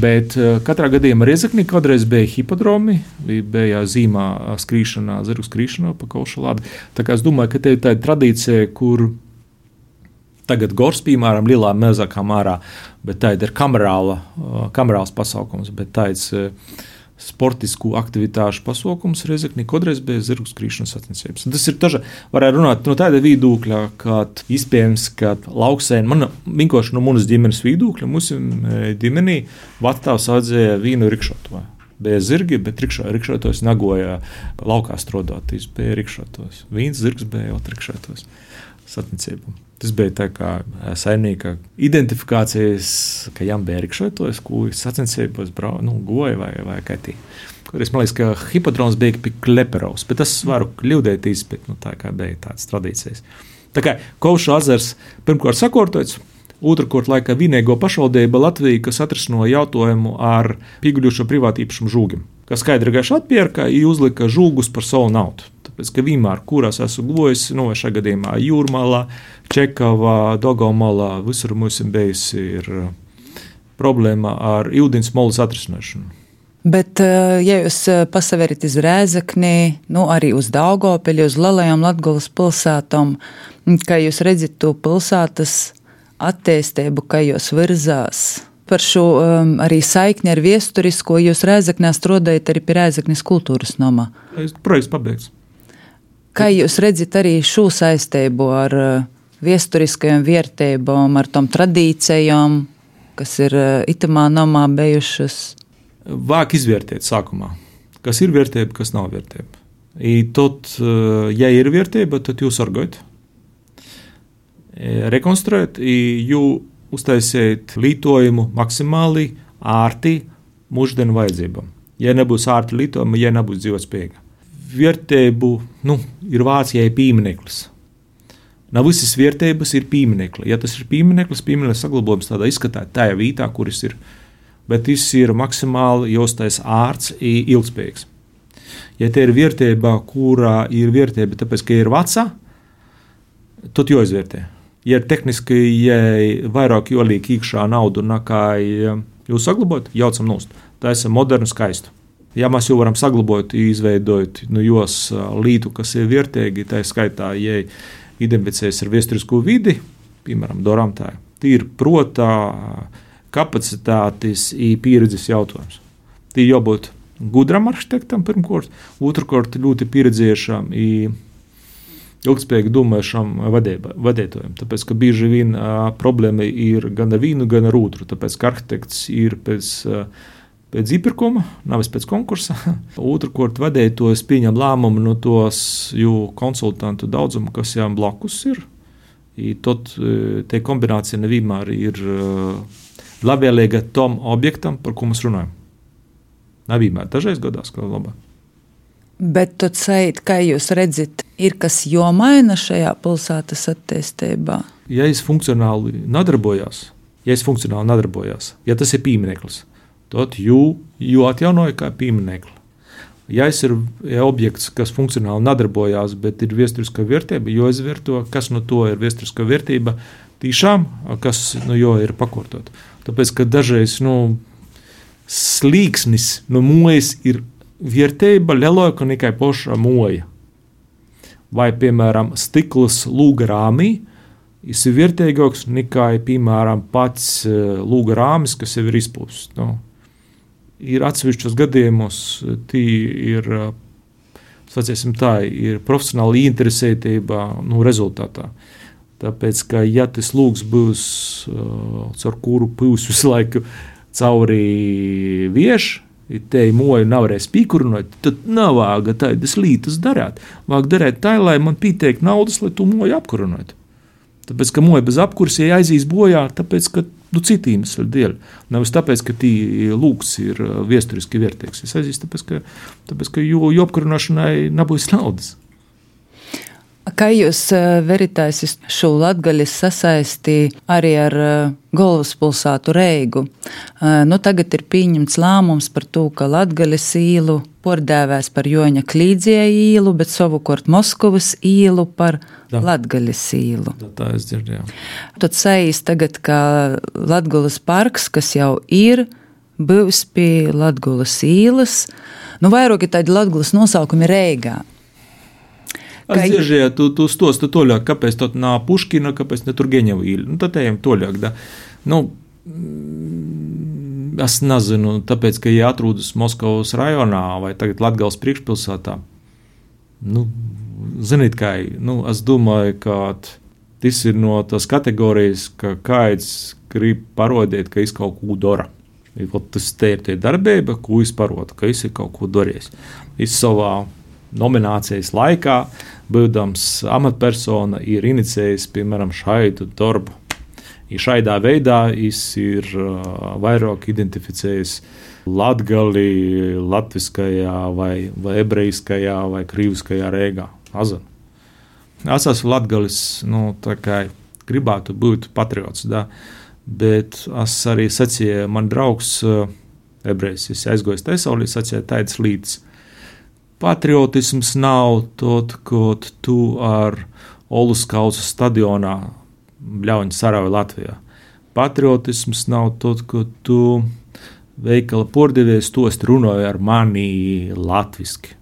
Bet katrā gadījumā Riezeknī kādreiz bija hipodromi, bija zīmā skrīšanā, zirgu skrīšanā pa Kaušu lādi. Tā kā es domāju, ka te ir tāda tradīcija, kur tagad gors, piemēram, lielā mazākā mērā, bet tā ir kamerāls pasaukums, bet tāds sportisku aktivitāšu pasaukums Riezeknī kādreiz bija zirgu skrīšanas sacensības. Tas ir taža, varētu runāt no tāda viedokļa, ka iespējams, ka lauksēn, vienkārši no manas ģimenes viedokļa, mūsu ģimenī vectāvs audzēja vīnu rikšotoju. Bija zirgi, bet rikšotos nagoja laukā strodotīs, bija rikšotos. Vīns zirgs bija jau rikšotos sacensībām. Tas bija tā kā saimnieka identifikācijas, ka jām bija rikšotos, ko sacensībos goja vai kā tī. Kādreiz man liekas, ka hipodroms bija pie Kleperovs, bet tas varu kļūdētīs, bet tā kā bija tādas tradīcijas. Tā kā Kaušu ezers pirmkārt sakārtots, Otrakārt, laikā vienīgo pašvaldība Latvija, kas atrisinoja jautājumu ar pieguļošo privātīpašumu žūgiem, kas skaidri gaiši atpērka un uzlika žūgus par savu naudu. Tāpēc, ka vienmēr, kurās esmu gojis, vai šajā gadījumā Jūrmalā, Čekavā, Daugavmalā, visur mums bijusi ir problēma ar ūdens molas atrisināšanu. Bet, ja jūs pasaverat iz Rēzekni, arī uz Daugavpili, uz lielajām Latgolas pilsētām, kā jūs redzat to pilsētas attīstību, kā jūs virzās par šo arī saikni ar viesturisko, jūs Rēzeknē strādājat arī pie Rēzeknes kultūras nama. Projekts pabeigts. Kā jūs redzat arī šo saistību ar viesturiskajām vērtībām, ar tom tradīcijām, kas ir itamā namā bijušas? Vāk izvērtēt sākumā, kas ir vērtība, kas nav vērtība. Tad, ja ir vērtība, tad jūs sargājat, rekonstruēt, jūs uztaisiet lietojumu maksimāli ārti mūždienu vajadzībām. Ja nebūs ārti lietojuma, ja nebūs dzīvotspējīga. Vērtību, ir Vācijai piemineklis. Nav visas vērtības ir pieminekli. Ja tas ir piemineklis saglabājums tādā izskatā, tajā vietā, kuris ir. Bet tas ir maksimāli jāuztais ārts un ilgspējīgs. Ja te ir vērtība, kurā ir vērtība, tāpēc, ka ir vecā, tad jāizvērtē. Ja ir tehniski, ja vairāk jolīk iekšā naudu nekā jūs saglabājat, jaucam nost. Tā ir modernu skaistu. Ja mēs jau varam saglabāt, izveidot jos lītu, kas ir vērtīgi, tā skaitā, ja identificējas ar vēsturisko vidi, piemēram, doram tā, ir protā, kapacitātes un pieredzes jautājums. Tī jābūt gudram arhitektam pirmkārt, otrkārt ļoti pieredzējušam un ilgspējīgi domājušam vadītājiem. Tāpēc, ka bieži vien problēma ir gan ar vienu, gan ar otru. Tāpēc, ka arhitekts ir pēc iepirkuma, nevis pēc konkursa. Otrkārt, vadītājs pieņem lēmumu no tos konsultantu daudzumu, kas jām blakus ir. Tad te kombinācija nevienmēr ir labvēlīga tom objektam, par ko mēs runājam. Nav vienmēr, dažreiz gadās, ka labāk. Bet tad sajūt, kā jūs redzat, ir kas jomaina šajā pilsētas attīstībā? Ja es funkcionāli nedarbojās, ja tas ir piemineklis, tad jū atjaunoja kā pieminekli. Ja es ir objekts, kas funkcionāli nedarbojās, bet ir vēsturiskā vērtība, jo izvērto, kas no to ir vēsturiskā vērtība, tīšām, kas no jo ir pakortot. Tāpēc, ka dažreiz slīksnis no mojas ir vērtība lielāka nekā paša moja. Vai, piemēram, stikls lūga rāmī ir vērtīgāks nekā, piemēram, pats lūga rāmis, kas jau ir izpūsts. Ir atsevišķos gadījumos, tī ir, sacīsim tā, ir profesionāla interesētība rezultātā. Tāpēc, ka ja tas lūgs būs, caur kuru pūs visu laiku cauri vieš, te moju nevarēs pīkurinot, tad nav vāga tādas lītas darāt. Vāk darēt tā, lai man pieteik naudas, lai tu moju apkurinot. Tāpēc, ka moja bez apkurs aizies bojā, tāpēc, ka citiem ir dēļ. Nevis tāpēc, ka tī lūgs ir viesturiski vērtīgs. Es aizies tāpēc, ka jo apkurināšanai nebūs naudas. Kā jūs veritājas šo Latgaļas sasaisti arī ar galvaspilsētu Reigu? Tagad ir pieņemts lēmums par to, ka Latgaļas īlu pārdēvēs par Joņa Klīdzija īlu, bet savukārt Moskavas īlu par Latgaļas īlu. Tā es dzirdēju. Tad sajīs tagad, ka Latgaļas parks, kas jau ir, būs pie Latgaļas īlas, vairāk ir tādi Latgaļas nosaukumi Reigā. Es dzirdzēju, tu stosti toļāk, kāpēc tad nav Puškina, kāpēc ne Turgeņeva īļa. Tad ejam toļāk, da. Es nezinu, tāpēc, ka ja atrūdas Moskavas rajonā vai tagad Latgales priekšpilsētā, ziniet kā, es domāju, ka tas ir no tās kategorijas, ka kāds grib parodēt, ka es kaut ko dara. Tas te ir tie darbība, ko es parodu, ka es ir kaut ko darījis. Es savā nominācijas laikā, būdams amatpersona, ir inicijējis, piemēram, šaidu darbu. Šaidā veidā es ir vairāk identificējis Latgali latviskajā vai ebrejiskajā vai krīviskajā Reigā. Es esmu Latgalis, gribētu būt patriots, da, bet es arī sacīju, man draugs ebrejs, es aizgojis Taisaulī, sacīja taids līdz. Patriotisms nav tot, kad tu ar Oluskausa stadionā bļauņu sarauji Latvijā. Patriotisms nav tot, kad tu veikala pordevies tost runāji ar mani latviski.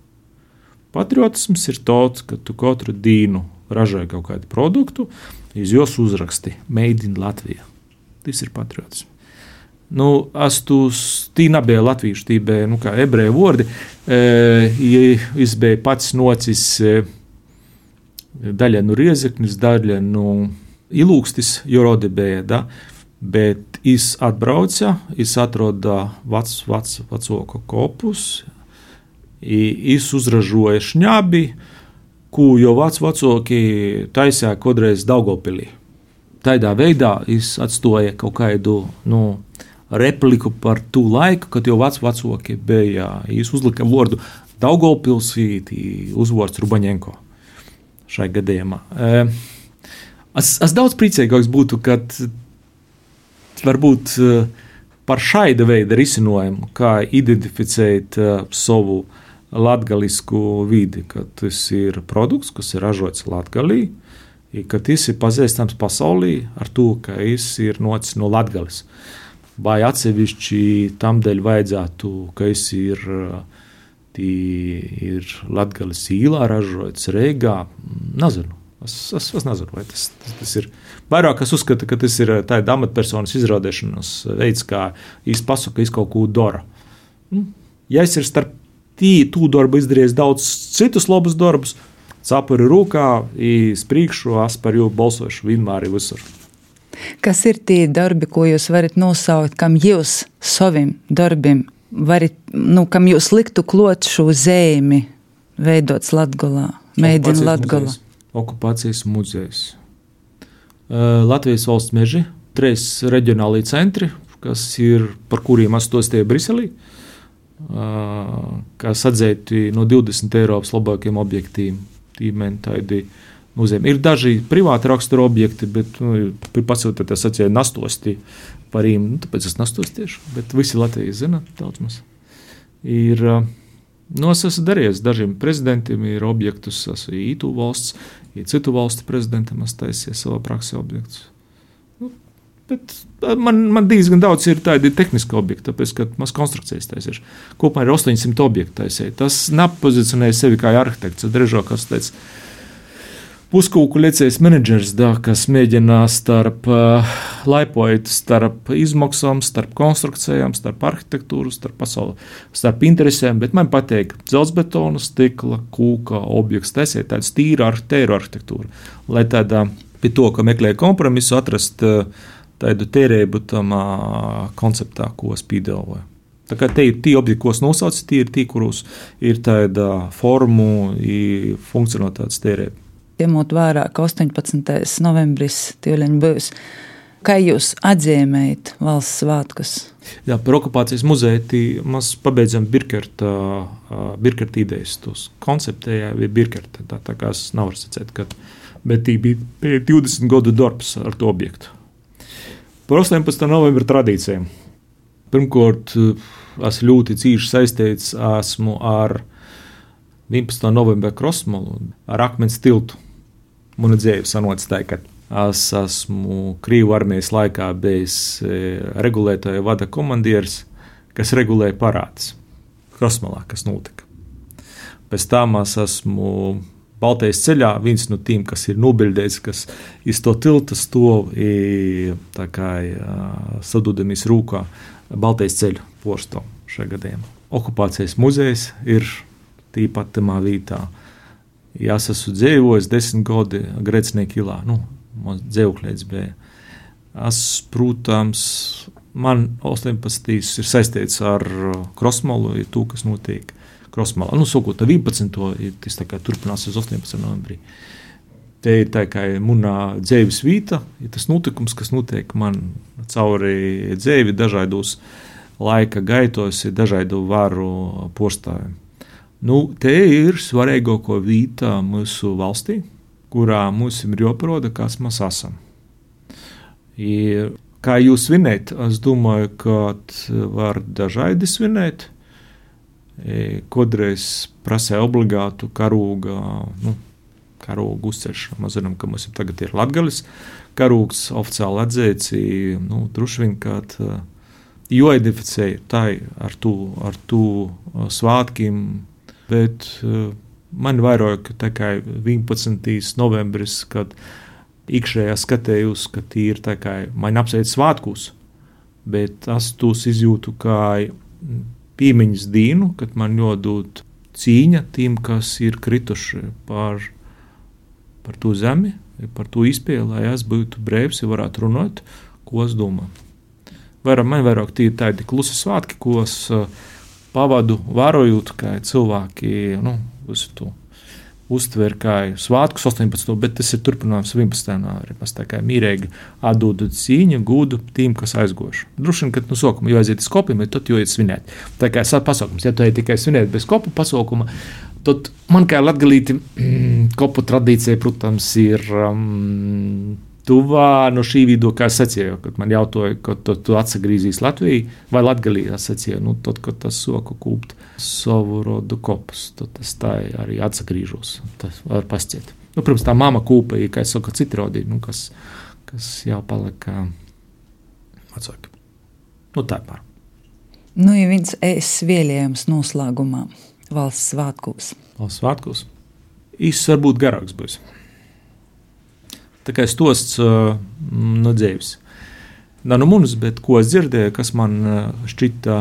Patriotisms ir tot, ka tu katru dīnu ražoji kaut kādu produktu, iz jos uzraksti Made in Latvija. Tas ir patriotisms. Es tī nebija latviešu, tī bija, kā ebreju vordi. Es biju pats nocis daļa no Riezeknis, daļa no Ilūkstis, jo rodi bija, da? Bet es atbrauca, es atroda vecāku kopus, es uzražoju šņabi, ko jau vecāki taisīja kodreiz Daugavpilī. Tādā veidā es atstoju kaut kādu, repliku par tū laiku, kad jau vecāki bija, es uzlika vārdu Daugavpils, uzvārds Rubaņenko šai gadījumā. Es daudz priecīgāks būtu, kad varbūt par šaida veida risinājumu, kā identificēt savu latgalisku vidi, kad tas ir produkts, kas ir ražots Latgalī, ka tas ir pazīstams pasaulī ar to, ka tas ir nocis no Latgalis. Vai atsevišķi tam dēļ vajadzētu, ka es ir Latgalis īlā ražots, Reigā, nezinu. Es nezinu, vai tas ir. Vairāk es uzskatu, ka tas ir tāda amatpersonas izrādēšanas veids, kā es pasaku, ka es kaut ko dara. Ja es ir starp tū darbu izdarījis daudz citus labus darbus, capuri rūkā, sprīkšu, es par jū balsošu vienmēr visur. Kas ir tie darbi, ko jūs varat nosaukt, kam jūs saviem darbiem varat, kam jūs liktu klot šo zemi veidots Latgolā, Made in Latgola? Okupācijas muzejs. Latvijas valsts meži, 3 reģionālī centri, par kuriem astostie Briselī, kas atzīti no 20 Eiropas labākiem objektiem, tīmeni tādi muzejiem. Ir daži privāti rakstura objekti, bet pasūtīt, es atceru nastosti par īm, tāpēc es nastostiešu, bet visi Latvijas zina, daudz mums. Ir, es esmu darījies dažiem prezidentiem, ir objektus, esmu ītū valsts, citu valstu prezidentam es taisīju savā praksē objektus. Bet man diezgan daudz ir tādi tehniski objekti, tāpēc, ka maz konstrukcijas taisīšu. Kopumā ir 800 objektu taisīju. Tas nepozicionēja sevi kā arhitekts, drīzāk, kas teica, puskūku lecējs menedžers, kas mēģina laipojot starp izmaksām, starp konstrukcijām, starp arhitektūru, starp pasauli, starp interesēm, bet man patīk dzelzbetona, stikla, kūka objekts, taisīt tāds tīra arhitektūra, lai tādā pie to, ka meklēja kompromisu, atrast tādu tērēbu tam konceptā, ko es piedāvoju. Tā kā te ir tie objekti, ko es nosaucu, tie ir tie, kuros ir tāda formu un funkcionalitātes tērēba. Ņemot vērā, ka 18. novembris tīvļaņ būs, kā jūs atzīmējat valsts svētkus? Jā, par okupācijas muzeju mēs pabeidzam Birkerta idejas, tos konceptējā bija Birkerta, tā kā es nevaru sacēt, bet tī bija 20 gadu darbs ar to objektu. Par 18. novembra tradīcijām. Pirmkārt, es ļoti cīši saistīts esmu ar 11. novembra Krosmalu, ar akmens tiltu. Muna dzīve sanots tā, ka es esmu Krīvu armijas laikā bijis regulētāja vada komandieris, kas regulēja parādus Krosmalā, kas notika. Pēc tam es esmu Baltijas ceļā, viens no tiem, kas ir nobildēts, kas iz to tilta stov tā kā sadūdamies rūkā Baltijas ceļu porsto šajā gadījumā. Okupācijas muzejs ir tīpat tamā vītā. Ja es esmu dzīvojis 10 gadi Grēcinieka ilā, mums dzīvokļēts bija. Es, protams, man 18. ir saistīts ar Krosmalu, ir to, kas notiek Krosmalā. Sākot ar 11. tas tā kā turpinās uz 18. novembrī. Te ir tā kā munā dzīves vīta, ir tas notikums, kas notiek man cauri dzīvi dažādos laika gaitos, dažādu varu postājiem. Te ir svarīgāko vīta mūsu valstī, kurā mums ir jāparāda, kas mēs esam. Kā jūs svinēt? Es domāju, ka var dažādi svinēt. Kodreiz prasēja obligātu karūga, karūgu uzceļšanu. Mēs zinām, ka mums tagad ir Latgalis karūgs oficiāli atzīts, droši vien, ka joidentificēja tā ar tu svātkiem, bet man vairāk tikai 11. novembris, kad iekšējā skatējos, ka tī ir tā kā man apsveic svātkus, bet es tos izjūtu kā piemiņas dienu, kad man jodūt cīņa tiem, kas ir krituši par to zemi, par to izpēli, lai es būtu brēvs, ja varētu runāt, ko es domāju. Man vairāk tie ir tādi klusi svātki, ko es pavadu vērojot, kā cilvēki, visu to uztver kā svātkus 18. bet tas ir turpinājums 11. arī. Mēs tā kā mīrēgi atdodu cīņu, gūdu tiem, kas aizgoši. Droši vien, kad sākumā jau aiziet uz kopiem, bet tad jau iet svinēt. Tā kā pasaukums, ja tu ej tikai svinēt bez kopu pasaukuma, tad man kā latgalīti kopu tradīcija, protams, ir tuvā no šī vidū, kā es sacīju, kad man jautāja, kad tu atsagrīzīs Latviju vai Latgalī, es sacīju, tad, kad tas soku kūpt savu rodu kopus, tad es tā arī atsagrīžos, tas var pasciet. Protams, tā mama kūpa, kā es saku, citi rodī, kas jau palika vecāki. Tā pār. Ja viens vēlējums noslēgumā valsts svētkos. Valsts svētkos? Īsts varbūt garāks būs. Tā kā stosts no dzīves. Nav no manis, bet ko es dzirdēju, kas man šķita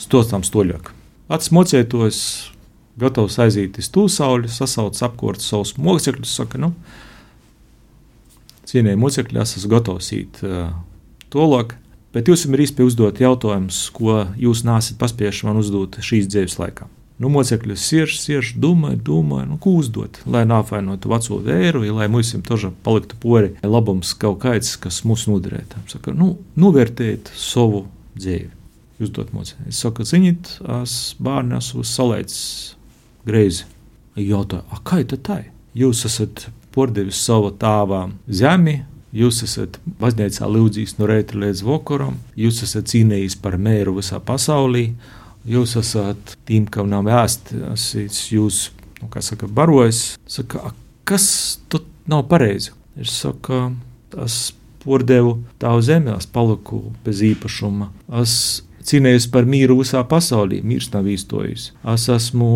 stostām stoļāk. Pats mocētos, gatavs aiziet iz tūsauli, sasauc apkort savus mocekļus, saka, cienēji mocekļi, es esmu gatavs īt tolāk, bet jūs ir īsti uzdot jautājumus, ko jūs nāsit paspieši man uzdot šīs dzīves laikā. Mocekļi sierž, domāju, ko uzdot, lai nāfainotu veco vēru, lai mums toža paliktu pori labums kaut kāds, kas mūs noderētu. Saka, novērtēt savu dzīvi. Uzdot mocekļi. Es saku, ziniet, es bērni esmu salaicis greizi. Jautāju, kā tad tā? Jūs esat pordevis savu tāvā zemi, jūs esat baznīcā lūdzījis no reita līdz vakaram, jūs esat cīnījis par mēru visā pasaulī, jūs esat tiem, kam nav ēst, jūs, barojas. Saka, kas tad nav pareizi? Es saku, es pordevu tavu zemi, es paliku bez īpašuma. Es cīnījos par mīru visā pasaulī, mīrs nav īstojis. Es esmu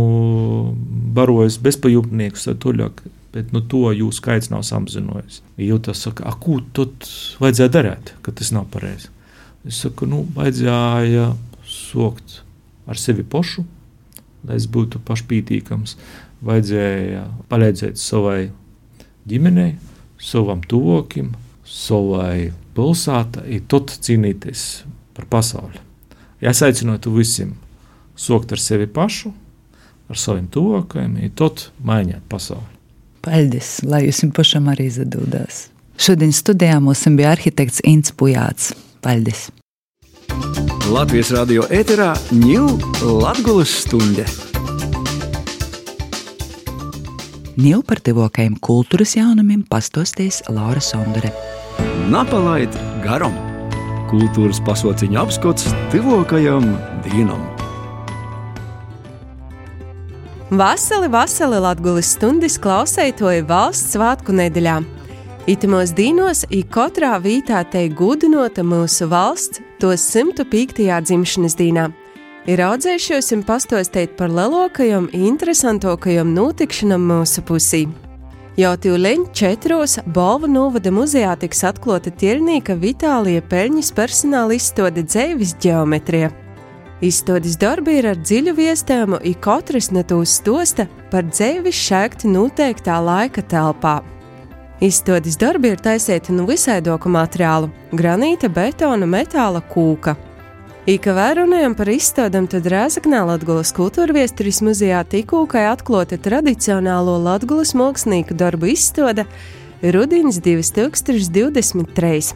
barojis bezpajumtniekus, bet to jūs skaits nav samazinājies. Tas saka, ko tad vajadzēja darīt, ka tas nav pareizi? Es saku, vajadzēja sokt ar sevi pašu, lai es būtu pašpītīkams, vajadzēja palīdzēt savai ģimenei, savam tuvokim, savai pilsētai, tad cīnīties par pasauli. Es aicinātu visiem sokt ar sevi pašu, ar saviem tuvokajiem, tad maiņāt pasauli. Paldies, lai jūs pašam arī izdodās. Šodien studijā mums bija arhitekts Ints Pujāts. Paldies! Latvijas radio ēterā Latgulas stunde. Par tuvākajiem kultūras jaunumiem pastostīs Laura Sondere. Napalaid garam! Kultūras pasauciņa apskats tuvākajam dienam. Vasali Latgulas stundas klausētoja valsts svētku nedēļā. Itimos dīnos katrā vītā tei gudinota mūsu valsts tos 105. dzimšanas dīnā. Ir audzējušos pastostēt par lielākajām, interesantākajām notikšanām mūsu pusī. Jau tūleņ 4 Bolva novada muzejā tiks atklāta ķirnīka Vitālija Peļņas personāla izstāde Dzeivis ģeometrija. Izstādes darbi ir ar dziļu viestājumu, katrs no tūs stosta par dzeivis šēgti noteiktā laika telpā. Izstādes darbi ir taisīti no visaidoku materiālu – granīta, betona, metāla, kūka. Kā runājam par izstādēm, tad Rēzeknē Latgulas kultūrviesturis muzejā tikūkai atklāta tradicionālo Latgulas mākslinieku darbu izstāde Rudins 2023.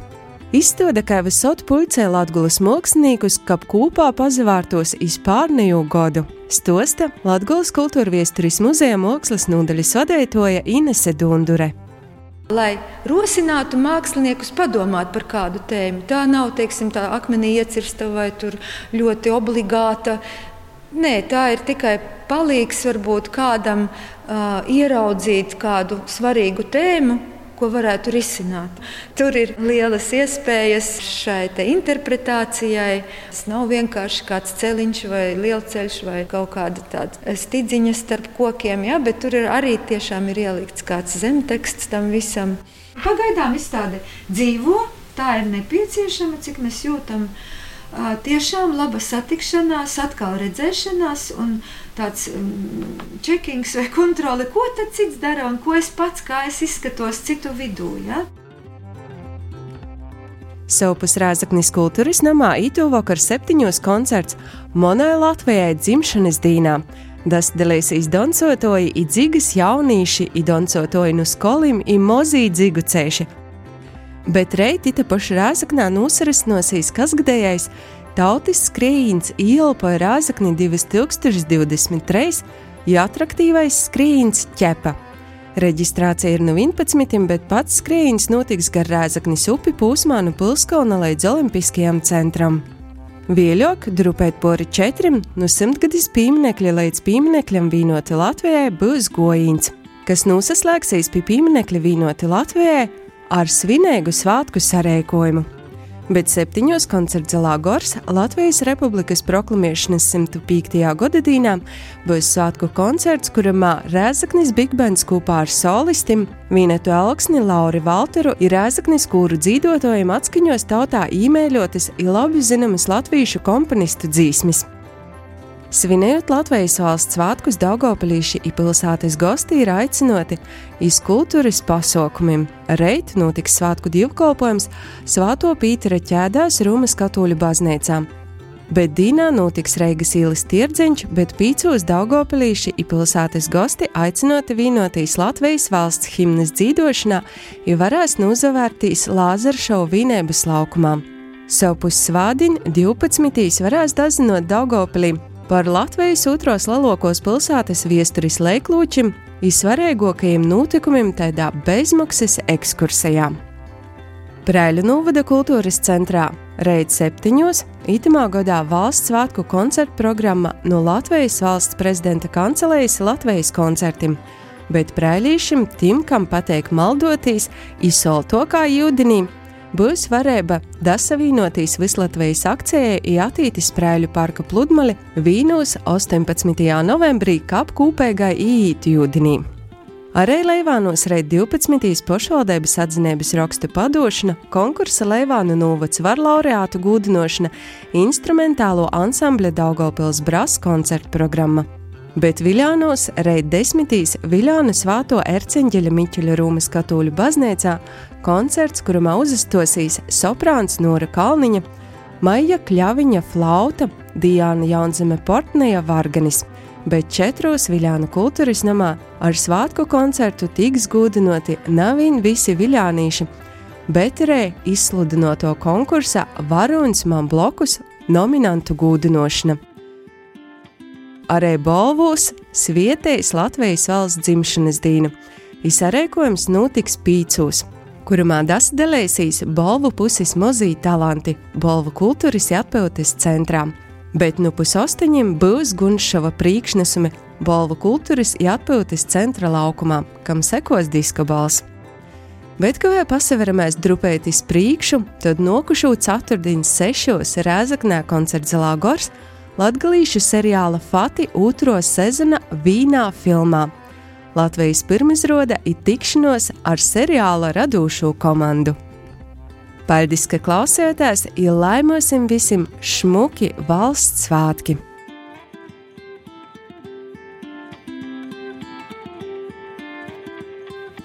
Izstāde kā visot pulcē Latgulas māksliniekus, kap kūpā pazavārtos iz pārnējo godu. Stosta Latgulas kultūrviesturis muzeja mākslas nodaļas vadītāja Inese Dundure. lai rosinātu māksliniekus padomāt par kādu tēmu. Tā nav, teiksim, tā akmenī iecirsta vai tur ļoti obligāta. Nē, tā ir tikai palīgs varbūt kādam ieraudzīt kādu svarīgu tēmu, ko varētu risināt. Tur ir lielas iespējas šai te interpretācijai. Tas nav vienkārši kāds celiņš vai lielceļš vai kaut kāda tāda stidziņa starp kokiem, ja, bet tur ir arī tiešām ir ielikts kāds zemteksts tam visam. Pagaidām izstāde dzīvo, tā ir nepieciešama, cik mēs jūtam. Tiešām laba satikšanās, atkal redzēšanās un tāds čekings vai kontrole, ko tad cits dara un ko es pats, kā es izskatos citu vidū. Ja? Savpus Rēzeknis kultūras namā itūvokar 7 koncerts Monai Latvijai dzimšanas dīnā. Das dalēsīs doncotoji i dzigas jaunīši i doncotoji nu skolim i mozī dzigu ceši. Bet reit ita paša Rēzeknā nūsarasnosīs kasgadējais tautis skrējīns ielpoja Rēzekni 2023 i atraktīvais skrējīns ķepa. Reģistrācija ir nu 11, bet pats skrējīns notiks gar Rēzeknis upi pūsmā nu Pilskalna līdz Olimpiskajam centram. Vieļok, drupēt pori 4, nu 100-gadis pīminekļa līdz pīminekļam Vīnoti Latvijai būs gojīns, kas nūsaslēgsīs pie pīminekļa Vīnoti Latvijai ar svinēgu svātku sarēkojumu. Bet 7 koncertzalā Gors Latvijas Republikas proklamēšanas 105. godadīnā būs svātku koncerts, kuramā Rēzeknis Big Bands kopā ar solistim Vīnetu Elksni, Lauri Valteru ir Rēzeknis kūru dzīdotojiem atskaņos tautā īmēļotas i labi zinamas latviešu komponistu dzīsmis. Svinējot Latvijas valsts svātkus, Daugavpilīši i pilsētas gosti ir aicinoti iz kultūras pasaukumiem. Reit notiks svātku dievkalpojums Svāto Pītera ķēdās Rūmas katoļu baznīcā. Bet dīnā notiks Reigas ielas tirdziņš, bet 5 Daugavpilīši i pilsētas gosti aicinoti vīnotīs Latvijas valsts himnas dzīdošanā i varēs nūzavērtīs Lāzeršovu vīnēbas laukumā. Savpus svādiņ 12. varēs dazinot Daugavpilī par Latvijas otros lalokos pilsētas viesturis leiklūčim i svarīgākajiem notikumiem tādā bezmaksas ekskursijā. Preiļu novada kultūras centrā reit 7. itamā gadā valsts svētku koncertu programma no Latvijas valsts prezidenta kancelejas Latvijas koncertim, bet preilīšim tim, kam pateik maldotīs, i solto kā jūdinī, būs varēba dasavīnotīs Vislatvijas akcijai i attītis Preiļu parka pludmali Vīnūs 18. novembrī kap kūpēgai īīt jūdinī. Arī Leivānos reit 12. pašvaldības atzinības rakstu padošana, konkursa Leivānu novads var laureātu gūdinošana, instrumentālo ansambļa Daugavpils Brass koncertu programma. Bet Viļānos reit 10. Viļānu Svāto Erceņģeļa Miķeļa Rūmas katoļu baznīcā koncerts, kurumā uzastosīs soprāns Nora Kalniņa, Maija Kļaviņa flauta, Diāna Jaunzeme Portneja varganis, bet 4 Viļānu kultūras namā ar svātku koncertu tiks gūdinoti navīn visi viļānīši, bet arī izsludinoto konkursa Varuns man blokus nominantu gūdinošana. Arī Bolvūs svietējis Latvijas valsts dzimšanas dīnu. Izsarēkojums notiks 5, kurumā dasdelēsīs Bolvu puses mozī talanti Bolvu kultūras atpildes centrā. Bet nu 7 būs Gunšova priekšnesumi Bolvu kultūras atpildes centra laukumā, kam sekos diskobals. Bet, kā vēl pasaveramies drupēt iz priekšu, tad nokušu 4. 6. Rēzeknē koncertzalā Gors latgalīšu seriāla Fati 2. sezona Vīnā filmā. Latvijas pirmizroda ir tikšanos ar seriāla radūšo komandu. Paldies, ka klausījāties, i laimosim visim šmuki valsts svātki!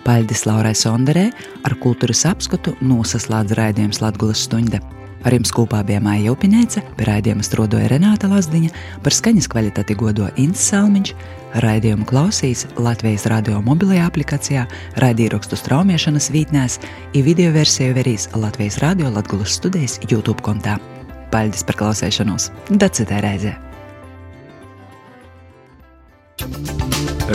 Paldies Laurai Sonderē, ar kultūras apskatu nosaslēdz raidījums Latgulas stunda. Ar jums kopā bija Maija Upinēca, pie raidījuma strādoja Renāta Lazdiņa, par skaņas kvalitāti godo Ints Salmiņš, raidījumu klausīs Latvijas radio mobilajā aplikācijā, raidīrakstu straumēšanas vītnēs i video versiju verīs Latvijas radio Latgulas studijas YouTube kontā. Paldies par klausēšanos! Da citai reizē!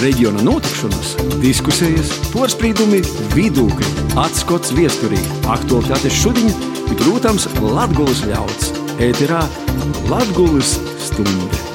reģiona notikšanas, diskusijas, porasprīdumi, vidūkļi, atskots viesturī, aktualitātes šodiņ un, protams, Latgulas ļauds. Ēterā Latgulas stunde.